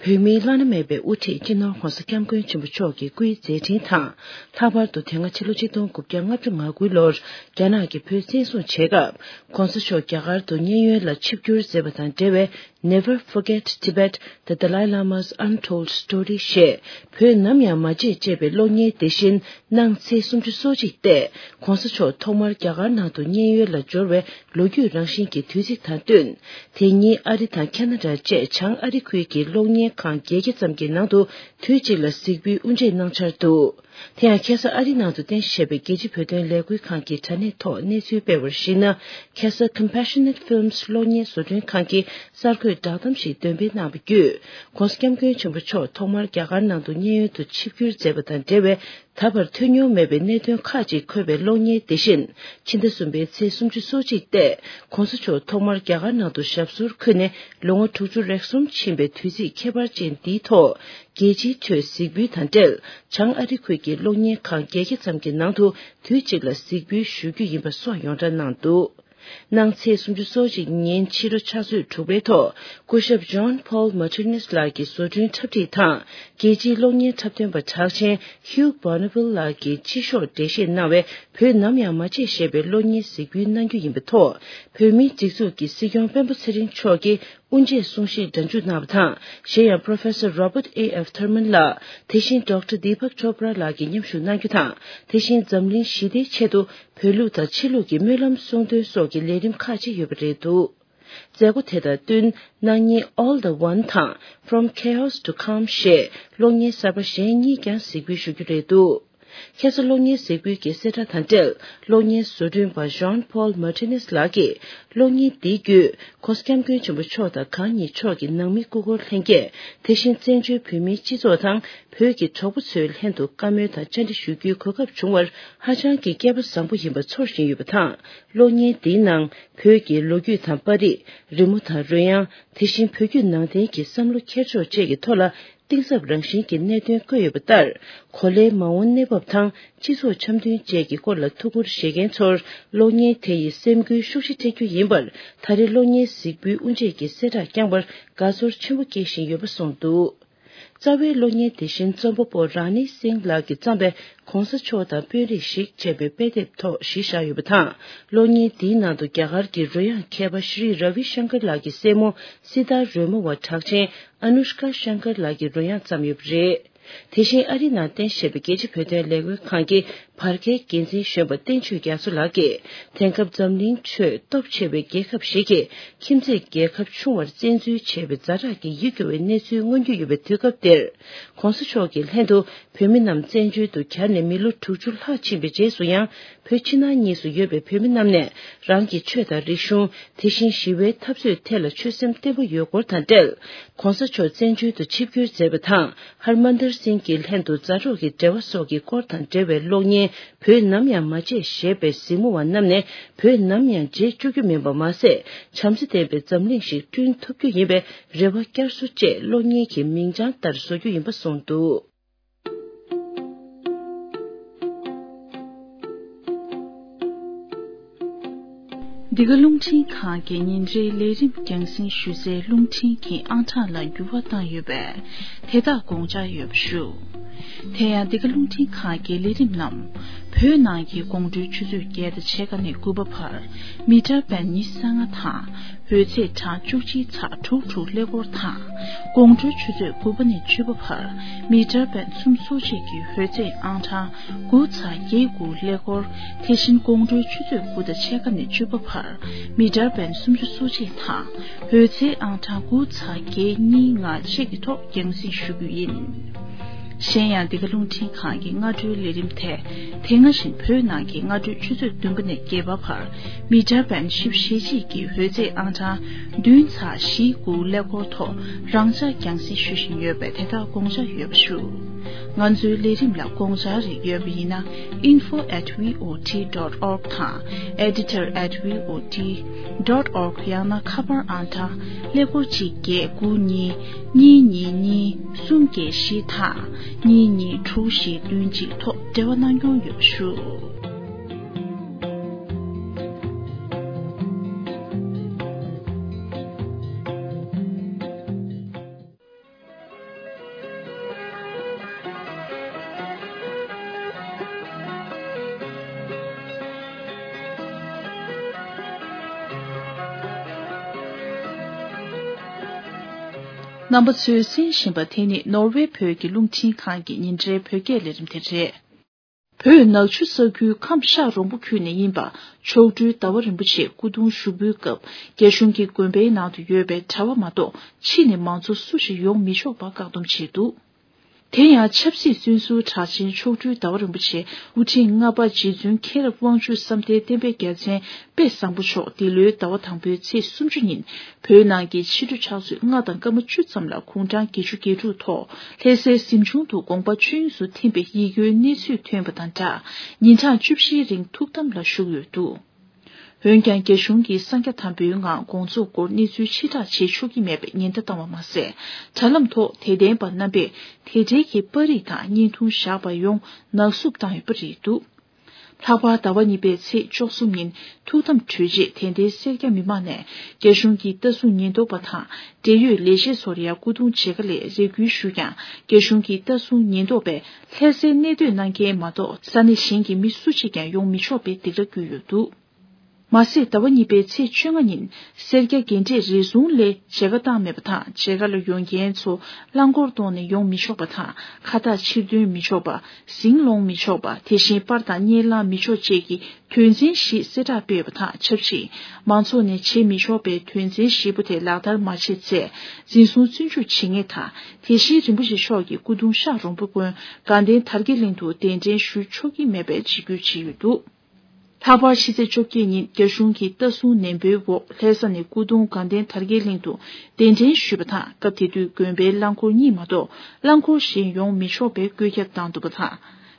བོད་མིའི་བླ་ན་མེད་པའི་དབུ་ཁྲིད་སྤྱི་ནོར་༧གོང་ས་༧སྐྱབས་མགོན་ཆེན་པོ་མཆོག་གི་སྐུའི་མཛད་འཕྲིན་དང་། ལྷག་པར་དུ་དེ་སྔ་ཕྱི་ལོ་ཆིག་སྟོང་དགུ་བརྒྱ་ལྔ་བཅུ་ང་དགུ་ལོར་རྒྱ་ནག་གིས་བོད་བཙན་བཟུང་བྱས་སྐབས། ྋགོང་ས་མཆོག་རྒྱ་གར་དུ་མཉན་ཡོད་ལ་ཆིབས་བསྒྱུར་མཛད་པ་དང་འབྲེལ་བའི། Never Forget Tibet, The Dalai Lama's Untold Story ཞེས་བོད་ནམ་ཡང་མ་བརྗེད་ཅེས་པའི་གློག་བརྙན་དེ་བཞིན་གནང་ཚེས་སུམ་ཅུ་སོ་གཅིག་སྟེ། ྋགོང་ས་མཆོག་ཐོག་མར་རྒྱ་གར་ནང་དུ་མཉན་ཡོད་ལ་འབྱོར་བའི་ལོ་རྒྱུས་རང་བཞིན་གྱི་དུས་ཚིགས་དང་བསྟུན། དེ་ཉིན་ཨ་རི་དང་ཁ་ན་ཌ་བཅས་བྱང་ཨ་རི་ཁུལ་གྱི་གློག་བརྙན་ཁང་བརྒྱད་བརྒྱ་ཙམ་གྱི་ནང་དུ་དུས་གཅིག་ལ་གཟིགས་འབུལ་དབུ་འབྱེད་གནང་འཆར་འདུག་དེ་ཡང་ཁ་སང་ཨ་རི་ནང་དུ་རྟེན་གཞི་བྱས་པའི་རྒྱལ་སྤྱིའི་བོད་དོན་ལས་འགུལ་ཁང་གི་དྲ་གནས་ཐོག་གནས་ཚུལ་སྤེལ་བར་གཞིགས་ན། ཁ་སང་Compassionate Films གློག་བརྙན་བཟོ་སྐྲུན་ཁང་གིས་གསར་འགོད་བསྒྲགས་གཏམ་ཞིག་འདོན་སྤེལ་གནང་བ་བརྒྱུད། ྋགོང་ས་ྋསྐྱབས་མགོན་ཆེན་པོ་མཆོག་ཐོག་མར་རྒྱ་གར་ནང་དུ་མཉན་ཡོད་དུ་ཆིབས་བསྒྱུར་མཛད་པ་དང་འབྲེལ་བའི་ད་བར་ཐོས་མྱོང་མེད་པའི་གནད་དོན་ཁག་ཅིག་འཁོད་པའི་གློག་བརྙན་དེ་བཞིན་ཕྱི་ཟླ་གསུམ་པའི་ཚེས་སུམ་ཅུ་སོ་གཅིག་སྟེ། ྋགོང་ས་མཆོག་ཐོག་མར་རྒྱ་གར་ནང་དུ་ཞབས་སོར་འཁོད་ནས་ལོ་ངོ་དྲུག་ཅུ་རེ་གསུམ་ཕྱིན་པའི་དུས་ཚིགས་ཁྱད་པར་ཅན་འདིའི་ཐོག་རྒྱལ་སྤྱིའི་ཁྲོད་གཟིགས་འབུལ་དང་འབྲེལ། བྱང་ཨ་རི་ཁུལ་གྱི་གློག་བརྙན་ཁང་བརྒྱད་བརྒྱ་ཙམ་གྱི་ནང་དུ་དུས་གཅིག་ལ་གཟིགས་འབུལ་ཞུ་རྒྱུ་ཡིན་པ་སོགས་ཡོངས་གྲགས་གནང་འདུག་གནངས་ཚེས་སུམ་ཅུ་སོ་གཅིག་ཉིན་ཕྱི་དྲོ་ཕྱག་ཚོད་དྲུག་པའི་ཐོག་སྐུ་ཞབས་John Paul Martinez ལགས་ཀྱི་བཟོ་སྐྲུན་འཁྲབ་ཁྲིད་དང་། རྒྱལ་སྤྱིའི་གློག་བརྙན་འཁྲབ་སྟོན་པ་གྲགས་ཅན་Hugh Bonneville ལགས་ཀྱིས་སྤྱི་ཤོག་འགྲེལ་བཤད་གནང་བའི་བོད་ནམ་ཡང་མ་བརྗེད་ཞེས་པའི་གློག་བརྙན་གཟིགས་འབུལ་གནང་རྒྱུ་ཡིན་པའི་ཐོག་བོད་མིའི་སྒྲིག་འཛུགས་ཀྱི་སྲིད་སྐྱོང་སྤེན་པ་ཚེ་རིང་མཆོག་གིས་དབུ་འབྱེད་གསུང་བཤད་སྒྲ་འཇུག་གནང་བ་དང་། གཞན་ཡང་Professor Robert A F Thurman ལགས། དེ་བཞིན་Doctor Deepak Chopra ལགས་ཀྱིས་མཉམ་ཞུགས་གནང་རྒྱུ་དང་། དེ་བཞིན་འཛམ་གླིང་ཞི་བདེའི་ཆེད་དུ་བོད་ལུགས་དང་ཕྱི་ལུགས་ཀྱི་སྨོན་ལམ་གསུང་འདོན་སོགས་ཀྱི་ལས་རིམ་ཁག་ཅིག་ཡོད་པ་རེད་འདུག་མཛད་སྒོ་དེ་དང་བསྟུན་གནངས་ཉིན་All the One དང་From Chaos to Calm ཞེས་གློག་བརྙན་གསར་པ་གཞན་གཉིས་ཀྱང་གཟིགས་འབུལ་ཞུ་རྒྱུ་རེད་འདུག་ཁ་སང་གློག་བརྙན་གཟིགས་འབུལ་གྱི་གསལ་བསྒྲགས་དང་འབྲེལ། གློག་བརྙན་བཟོ་སྐྲུན་པ་Jean Paul Martinez ལགས་ཀྱིས་གློག་བརྙན་འདི་བརྒྱུད་ྋགོང་ས་ྋསྐྱབས་མགོན་ཆེན་པོ་མཆོག་དང་གང་ཉིད་མཆོག་གི་ནང་མི་སྐུ་འཁོར་ལྷན་རྒྱས། དེ་བཞིན་བཙན་བྱོལ་བོད་མིའི་སྤྱི་ཚོགས་དང་བོད་ཀྱི་གྲོགས་པོ་ཚོའི་ལྷན་དུ་བཀའ་མོལ་དང་བཅར་འདྲི་ཞུ་རྒྱུའི་གོ་སྐབས་བྱུང་བར་ཧ་ཅང་གི་སྐལ་པ་བཟང་པོ་ཡིན་པ་ཚོར་བཞིན་ཡོད་པ་དང་། གློག་བརྙན་འདིའི་ནང་བོད་ཀྱི་ལོ་རྒྱུས་དང་པར་རིས། རི་མོ་དང་རོལ་དབྱངས། དེ་བཞིན་བོད་བརྒྱུད་ནང་བསྟན་གྱི་བསམ་བློ་འཁྱེར་ཕྱོགས་བཅས་ཀྱི་ཐོག་ལ། གཏིང་ཟབ་རང་བཞིན་གྱི་གནད་དོན་བཀོད་ཡོད་པ་ལྟར། གོ་ལའི་མ་འོངས་གནས་བབ་དང་སྤྱི་ཚོགས་འཆམ་མཐུན་བཅས་ཀྱི་སྐོར་ལ་ཐུགས་ཁུར་བཞེས་མཁན་ཚོར་གློག་བརྙན་དེ་ཡིས་སེམས་འགུལ་ཤུགས་ཆེ་སྤྲད་རྒྱུ་ཡིན་པར། ད་རེས་གློག་བརྙན་གཟིགས་འབུལ་དབུ་འབྱེད་ཀྱི་གསལ་བསྒྲགས་བསྐྱངས་པར་དགའ་ཚོར་ཆེན་པོ་སྐྱེས་བཞིན་ཡོད་པ་གསུངས་འདུག། རྩ་བའི་གློག་བརྙན་དེ་བཞིན་རྩོམ་པ་པོ་རཱ་ནི་སིང་ལགས་ཀྱིས་བརྩམས་པའི་གོང་ས་མཆོག་དང་དཔོན་རིགས་ཤིག་ཅེས་པའི་དཔེ་དེབ་ཐོག་གཞི་བཞག་ཡོད་པ་དང་། གློག་བརྙན་འདིའི་ནང་དུ་རྒྱ་གར་གྱི་རོལ་དབྱངས་མཁས་པ་ཤྲི་ར་བི་ཤང་ཀར་ལགས་ཀྱི་སྲས་མོ་སི་ཏཱ་རོལ་མོ་བ་གྲགས་ཅན་ཨ་ནུ་ཤ་ཀ་ཤང་ཀར་ལགས་ཀྱིས་རོལ་དབྱངས་བརྩམས་ཡོད་པ་རེད། དེ་བཞིན་ཨ་རི་ནང་རྟེན་གཞི་བྱས་པའི་རྒྱལ་སྤྱི་བོད་དོན་ལས་འགུལ་ཁང་གི་བར་བརྒལ་འགན་འཛིན་གཞོན་པ་བསྟན་ཆོས་རྒྱ་མཚོ་ལགས་ཀྱིས། དེང་སྐབས་འཛམ་གླིང་ཁྲོད་སྟོབས་ཆེ་བའི་རྒྱལ་ཁབ་ཞིག་གིས་ཁྱིམ་མཚེས་རྒྱལ་ཁབ་ཆུང་བར་བཙན་འཛུལ་བྱས་པའི་ཛ་དྲག་གི་ཡིད་སྐྱོ་བའི་གནས་ཚུལ་མངོན་གྱི་ཡོད་པའི་དུས་སྐབས་འདིར། གོང་ས་མཆོག་གི་ལྷན་དུ་བོད་མི་རྣམས་བཙན་བྱོལ་དུ་གྱར་ནས་མི་ལོ་དྲུག་ཅུ་ལྷག་ཕྱིན་པའི་རྗེས་སུ་ཡང་། བོད་ཕྱི་ནང་གཉིས་སུ་ཡོད་པའི་བོད་མི་རྣམས་ནས་རང་གི་ཆོས་དང་རིག་གཞུང་། དེ་བཞིན་ཞི་བའི་འཐབ་རྩོད་ཐད་ལ་ཆོད་སེམས་བརྟན་པོ་ཡོད་སྐོར་དང་འབྲེལ། གོང་ས་མཆོག་བཙན་བྱོལ་དུ་ཆིབས་བསྒྱུར་མཛད་པ་དང་། ཧར་མན་དར་སིང་གི་ལྷན་དུ་མཛའ་གྲོགས་ཀྱི་འབྲེལ་བ་སོགས་ཀྱི་སྐོར་དང་འབྲེལ་བའི་གློག་བརྙན། བོད་ནམ་ཡང་མ་བརྗེད་ཞེས་པའི་གཟིགས་མོ་བ་རྣམས་ནས་བོད་ནམ་ཡང་བརྗེད་བཅུག་རྒྱུ་མིན་པ་མ་ཟད། བྱམས་བརྩེ་ལྡན་པའི་འཛམ་གླིང་ཞིག་བསྐྲུན་ཐུབ་རྒྱུ་ཡིན་པའི་རེ་བ་བསྐྱར་གསོ་བཅས་གློག་བརྙན་གྱི་མིང་བྱང་ལྟར་བཟོ་རྒྱུ་ཡིན་པ་གསུངས་འདུག། འདི་ག་རླུང་འཕྲིན་ཁང་གི་ཉིན་རེའི་ལས་རིམ་རྒྱང་སྲིང་ཞུ་སའི་རླུང་འཕྲིན་གྱི་ཨང་གྲངས་ལ་འགྱུར་བ་བཏང་ཡོད་པས། དེ་དག་དགོངས་འཇགས་ཡོད་པ་ཞུ། དེ་ཡང་འདི་ག་རླུང་འཕྲིན་ཁང་གི་ལས་རིམ་རྣམས། བོད་ནང་གི་དགོང་དྲོའི་ཆུ་ཚོད་བརྒྱད་དང་ཕྱེད་ཀ་ནས་དགུ་པ་བར། མི་ཊར་བེན་ཉི་ཤུ་རྩ་ལྔ་དང་། འོད་ཚད་གྲངས་བཅུ་གཅིག་ཚེག་དྲུག་དྲུག་ཀླད་ཀོར་དང་། དགོང་དྲོའི་ཆུ་ཚོད་དགུ་པ་ནས་བཅུ་པ་བར། མི་ཊར་བེན་སུམ་ཅུ་སོ་གཅིག་གི་འོད་ཚད་ཨང་གྲངས་དགུ་ཚེག་བརྒྱད་དགུ་ཀླད་ཀོར། དེ་བཞིན་དགོང་དྲོའི་ཆུ་ཚོད་དགུ་དང་ཕྱེད་ཀ་ནས་བཅུ་པ་བར། མི་ཊར་བེན་སུམ་ཅུ་སོ་གཅིག་དང་། འོད་ཚད་ཨང་གྲངས་དགུ་ཚེག་བརྒྱད་གཉིས་ལྔ་བཅས་ཀྱི་ཐོག་རྒྱང་སྲིང་ཞུ་རྒྱུ་ཡིན། གཞན་ཡང་འདི་ག་རླུང་འཕྲིན་ཁང་གི་སྔ་དྲོའི་ལས་རིམ་དེ། དེ་སྔ་བཞིན་བོད་ནང་གི་སྔ་དྲོའི་ཆུ་ཚོད་བདུན་པ་ནས་བརྒྱད་པ་བར། མི་ཊར་བེན་བཞི་བཅུ་ཞེ་གཅིག་གི་འོད་ཚད་ཨང་གྲངས་བདུན་ཚེག་བཞི་དགུ་ཀླད་ཀོར་ཐོག་རང་འཇགས་རྒྱང་སྲིང་ཞུ་བཞིན་ཡོད་པས་དེ་དག་དགོངས་འཇགས་ཡོད་པ་ཞུ། ང་ཚོའི་ལས་རིམ་ལ་དགོངས་འཆར་རེ་ཡོད་པ་ཡིན་ན། info at V O T dot org དང་། editor at V O T dot org ཡང་ན་ཁ་པར་ཨང་གྲངས་ཀླད་ཀོར་གཅིག་བརྒྱད་དགུ་གཉིས་གཉིས་གཉིས་གཉིས་གསུམ་བརྒྱད་བཞི་དང་། གཉིས་གཉིས་དྲུག་བཞི་བདུན་གཅིག་ཐོག་འབྲེལ་བ་གནང་སྐྱོང་ཡོད་པ་ཞུ། རྣམ་པ་ཚོས་གསན་བཞིན་པ་དེ་ནི་ནོར་ཝེ་བོད་ཀྱི་རླུང་འཕྲིན་ཁང་གི་ཉིན་རེའི་བོད་སྐད་ལས་རིམ་དེ་རེད། བོད་ནག་ཆུ་ས་ཁུལ་ཁམས་ཤག་རོང་པོ་ཁུལ་ནས་ཡིན་པ་མཆོག་སྤྲུལ་ཟླ་བ་རིན་པོ་ཆེ་སྐུ་གདུང་ཞུགས་འབུལ་སྐབས་རྒྱ་གཞུང་གིས་དགོན་པའི་ནང་དུ་ཡོད་པའི་གྲྭ་བ་མ་གཏོགས་ཕྱི་ནས་མང་ཚོགས་སུ་ཞིག་ཡོང་མི་ཆོག་པ་བཀག་སྡོམ་བྱས་འདུག། དེ་ཡང་ཆབ་སྲིད་བཙོན་ཟུར་གྲགས་ཅན་མཆོག་སྤྲུལ་ཟླ་བ་རིན་པོ་ཆེ་སྐུ་ཕྲེང་ལྔ་པ་རྗེ་བཙུན་མཁྱེན་རབ་དབང་ཕྱུག་བསམ་གཏན་བསྟན་པའི་རྒྱལ་མཚན་དཔལ་བཟང་པོ་མཆོག་འདི་ལོའི་ཟླ་བ་དང་པོའི་ཚེས་སུམ་ཅུ་ཉིན་བོད་ནང་གི་ཕྱི་དྲོ་ཕྱག་ཚོད་ལྔ་དང་སྐར་མ་བཅུ་ཙམ་ལ་དགུང་གྲངས་བརྒྱད་ཅུ་གྱ་དྲུག་ཐོག་ལྷ་སའི་གཟིམ་ཆུང་དུ་དགོངས་པ་ཆོས་དབྱིངས་སུ་ཐིམ་པའི་ཡིད་སྐྱོའི་གནས་ཚུལ་ཐོན་པ་དང་སྦྲགས། ཉིན་གྲངས་བཅུ་བཞིའི་རིང་ཐུགས་དམ་ལ་བཞུགས་ཡོད་འདུག། འོན་ཀྱང་རྒྱ་གཞུང་གིས་གསང་རྒྱ་དམ་པའི་ངང་དགོངས་རྫོགས་སྐོར་གནས་ཚུལ་ཕྱིར་བསྒྲགས་བྱེད་ཆོག་གི་མེད་པའི་ཉེན་བརྡ་བཏང་བ་མ་ཟད། དྲ་ལམ་ཐོག་དད་ལྡན་པ་རྣམ་པས་དེ་འབྲེལ་གྱི་པར་རིས་དང་བརྙན་ཐུང་བཞག་པ་ཡོངས་ནག་བསུབ་བཏང་ཡོད་པ་རེད་འདུག། ལྷག་པར་ཟླ་བ་གཉིས་པའི་ཚེས་བཅུ་གསུམ་ཉིན་ཐུགས་དམ་གྲོལ་རྗེས་དད་ལྡན་སེར་སྐྱ་མི་མང་ནས་རྒྱ་གཞུང་གི་ལྟ་སྲུང་ཉེན་རྟོག་པ་དང་འབྲེལ་ཡོད་ལས་བྱེད་ཚོར་ཡང་སྐུ་གདུང་མཇལ་ཁ་སླད་རེ་སྐུལ་ཞུས་ཀྱང་རྒྱ་གཞུང་གི་ལྟ་སྲུང་ཉེན་རྟོག་པས་ལྷ་སའི་གནས་སྡོད་གནང་མཁན་མ་གཏོགས་ས་གནས་གཞན་གྱི་མི་སུ་གཅིག་ཀྱང་ཡོང་མི་ཆོག་པའི་སྡིགས་ར་བསྐུལ་ཡོད་འདུག། མ་ཟད་ཟླ་བ་གཉིས་པའི་ཚེས་བཅོ་ལྔ་ཉིན་སེར་སྐྱ་རྒན་གྲས་རེ་ཟུང་ལས་མཇལ་ཁ་བཏང་མེད་པ་དང་། མཇལ་ཁ་ལ་ཡོང་མཁན་ཚོ་རླངས་འཁོར་གཏོང་ནས་ཡོང་མི་ཆོག་པ་དང་། ཁ་བཏགས་ཕྱིར་འདོན་མི་ཆོག་པ། ཟིང་སློང་མི་ཆོག་པ། དེ་བཞིན་པར་དང་བརྙན་བླངས་མི་ཆོག་བཅས་ཀྱི་དོན་ཚན་བཞི་གསལ་བསྒྲགས་སྤེལ་ཡོད་པ་དང་ཆབས་ཅིག་མང་ཚོགས་ནས་བྱེད་མི་ཆོག་པའི་དོན་ཚན་བཞི་པོ་དེ་ལག་བསྟར་མ་བྱས་ཚེ་འཛིན་བཟུང་བཙོན་འཇུག་བྱེད་ངེས་དང་། དེ་བཞིན་རིན་པོ་ཆེ་མཆོག་གི་སྐུ་གདུང་ཤག་རོང་པོ་དགོན་དགའ་ལྡན་དར་རྒྱས་གླིང་དུ་གདན་འདྲེན་ཞུ་ཆོག་གི་མེད་པའི་འཇིགས་སྐུལ་བྱས་ཡོད་འདུག། ལྷག་པར་ཕྱི་ཚེས་བཅོ་བརྒྱད་ཉིན་རྒྱ་གཞུང་གི་ལྟ་སྲུང་ནན་པོའི་འོག་ལྷ་ས་ནས་སྐུ་གདུང་དགའ་ལྡན་དར་རྒྱས་གླིང་དུ་གདན་འདྲེན་ཞུས་པ་དང་། སྐབས་དེ་དུས་དགོན་པའི་རླངས་འཁོར་གཉིས་མ་གཏོགས་རླངས་འཁོར་གཞན་ཡོང་མི་ཆོག་པའི་བཀོད་ཁྱབ་བཏང་འདུག་པ་དང་།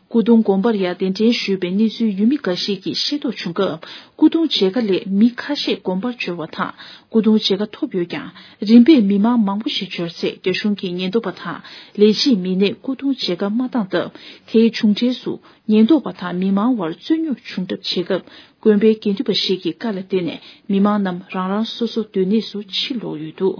སྐུ་གདུང་དགོན་པར་ཡང་གདན་འདྲེན་ཞུས་པའི་གནས་ཚུལ་ཡུལ་མི་འགའ་ཞིག་གིས་ཤེས་རྟོགས་བྱུང་སྐབས། སྐུ་གདུང་མཇལ་ཁ་སླད་མི་ཁ་ཤས་དགོན་པར་འབྱོར་བ་དང་། སྐུ་གདུང་མཇལ་ཁ་ཐོབ་ཡོད་ཀྱང་། རིམ་པས་མི་མང་མང་པོ་ཞིག་འབྱོར་ཚེ། རྒྱ་གཞུང་གི་ཉེན་རྟོག་པ་དང་ལས་བྱེད་མི་སྣས་སྐུ་གདུང་མཇལ་ཁ་མ་བཏང་སྟབས། དེའི་མཇུག་འབྲས་སུ། ཉེན་རྟོག་པ་དང་མི་མང་བར་རྩོད་རྙོག་བྱུང་གྲབས་བྱེད་སྐབས། དགོན་པའི་དགེ་འདུན་པ་ཞིག་གིས་བཀའ་ལ་བརྟེན་ནས། མི་མང་རྣམས་རང་རང་སོ་སོ་སྡོད་གནས་སུ་ཕྱིར་ལོག་ཡོད་འདུག།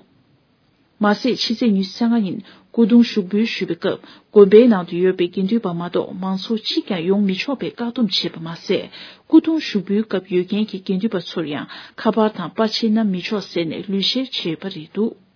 མ་ཟད། ཕྱི་ཚེས་ཉི་ཤུ་རྩ་ལྔ་ཉིན་སྐུ་གདུང་ཞུགས་འབུལ་ཞུས་པའི་སྐབས། དགོན་པའི་ནང་དུ་ཡོད་པའི་དགེ་འདུན་པ་མ་གཏོགས་མང་ཚོགས་གཅིག་ཀྱང་ཡོང་མི་ཆོག་པའི་བཀག་སྡོམ་བྱས་པ་མ་ཟད། སྐུ་གདུང་ཞུགས་འབུལ་སྐབས་ཡོད་མཁན་གྱི་དགེ་འདུན་པ་ཚོར་ཡང་ཁ་པར་དང་པར་ཆས་བསྣམས་མི་ཆོག་ཟེར་ནས་ལུས་བཤེར་བྱས་ཡོད་པ་རེད་འདུག།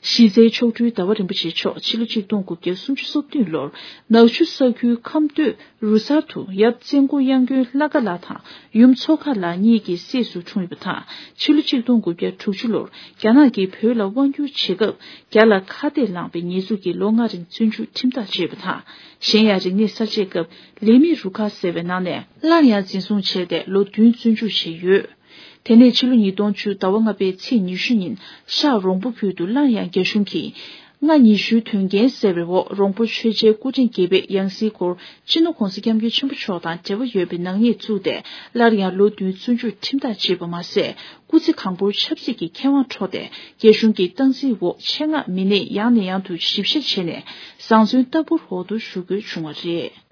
གཞི་རྩའི་མཆོག་སྤྲུལ་ཟླ་བ་རིན་པོ་ཆེ་མཆོག་ཕྱི་ལོ་ཆིག་སྟོང་དགུ་བརྒྱ་སུམ་ཅུ་སོ་བདུན་ལོར་ནག་ཆུ་ས་ཁུལ་ཁམས་སྟོད་རུ་གསར་དུ་ཡབ་བཙན་སྐུ་གཡང་དགོན་ལྷ་དགའ་ལགས་དང་ཡུམ་མཚོ་དགའ་ལགས་གཉིས་ཀྱི་སྲས་སུ་འཁྲུངས་ཡོད་པ་དང་། ཕྱི་ལོ་ཆིག་སྟོང་དགུ་བརྒྱ་དྲུག་ཅུ་ལོར་རྒྱ་ནག་གིས་བོད་ལ་དབང་བསྒྱུར་བྱེད་སྐབས། རྒྱ་ལ་ཁ་གཏད་བླངས་པའི་ཉེས་འཛུགས་ཀྱིས་ལོ་ལྔ་རིང་བཙོན་འཇུག་ཁྲིམས་ཐག་བཅད་པ་དང་། གཞན་ཡང་རིག་གནས་གསར་བརྗེའི་སྐབས་ལས་མི་རུ་ཁག་ཟེར་བའི་ནང་ནས་སླར་ཡང་འཛིན་བཟུང་བྱས་ཏེ་ལོ་བདུན་བཙོན་འཇུག་བྱས་ཡོད། དེ་ནས་ཕྱི་ལོ་ཉིས་སྟོང་བཅུ་ཟླ་བ་ལྔ་པའི་ཚེས་ཉི་ཤུ་ཉིན་ཤག་རོང་པོ་ཁུལ་དུ་སླར་ཡང་རྒྱ་གཞུང་གིས་ལྔ་ཉི་ཤུའི་དོན་རྐྱེན་ཟེར་བའི་འོག་རོང་པོ་ཆོས་རྗེ་སྐུ་ཕྲེང་བརྒྱད་པའི་ཡང་སྲིད་སྐོར་སྤྱི་ནོར་༧གོང་ས་༧སྐྱབས་མགོན་ཆེན་པོ་མཆོག་དང་འབྲེལ་བ་ཡོད་པའི་ནག་ཉེས་བཙུགས་ཏེ་སླར་ཡང་ལོ་བདུན་བཙོན་འཇུག་ཁྲིམས་ཐག་བཅད་པ་མ་ཟད། སྐུ་ཚེ་གང་པོར་ཆབ་སྲིད་ཀྱི་ཁེ་དབང་འཕྲོག་སྟེ་རྒྱ་གཞུང་གི་སྟངས་འཛིན་འོག་ཆེད་མངགས་མི་སྣས་ཡང་ནས་ཡང་དུ་ཞིབ་བཤེར་བྱས་ནས་བཟང་བཙོན་ལྟ་བུར་འོག་ཏུ་ཞུགས་དགོས་བྱུང་བ་རེད།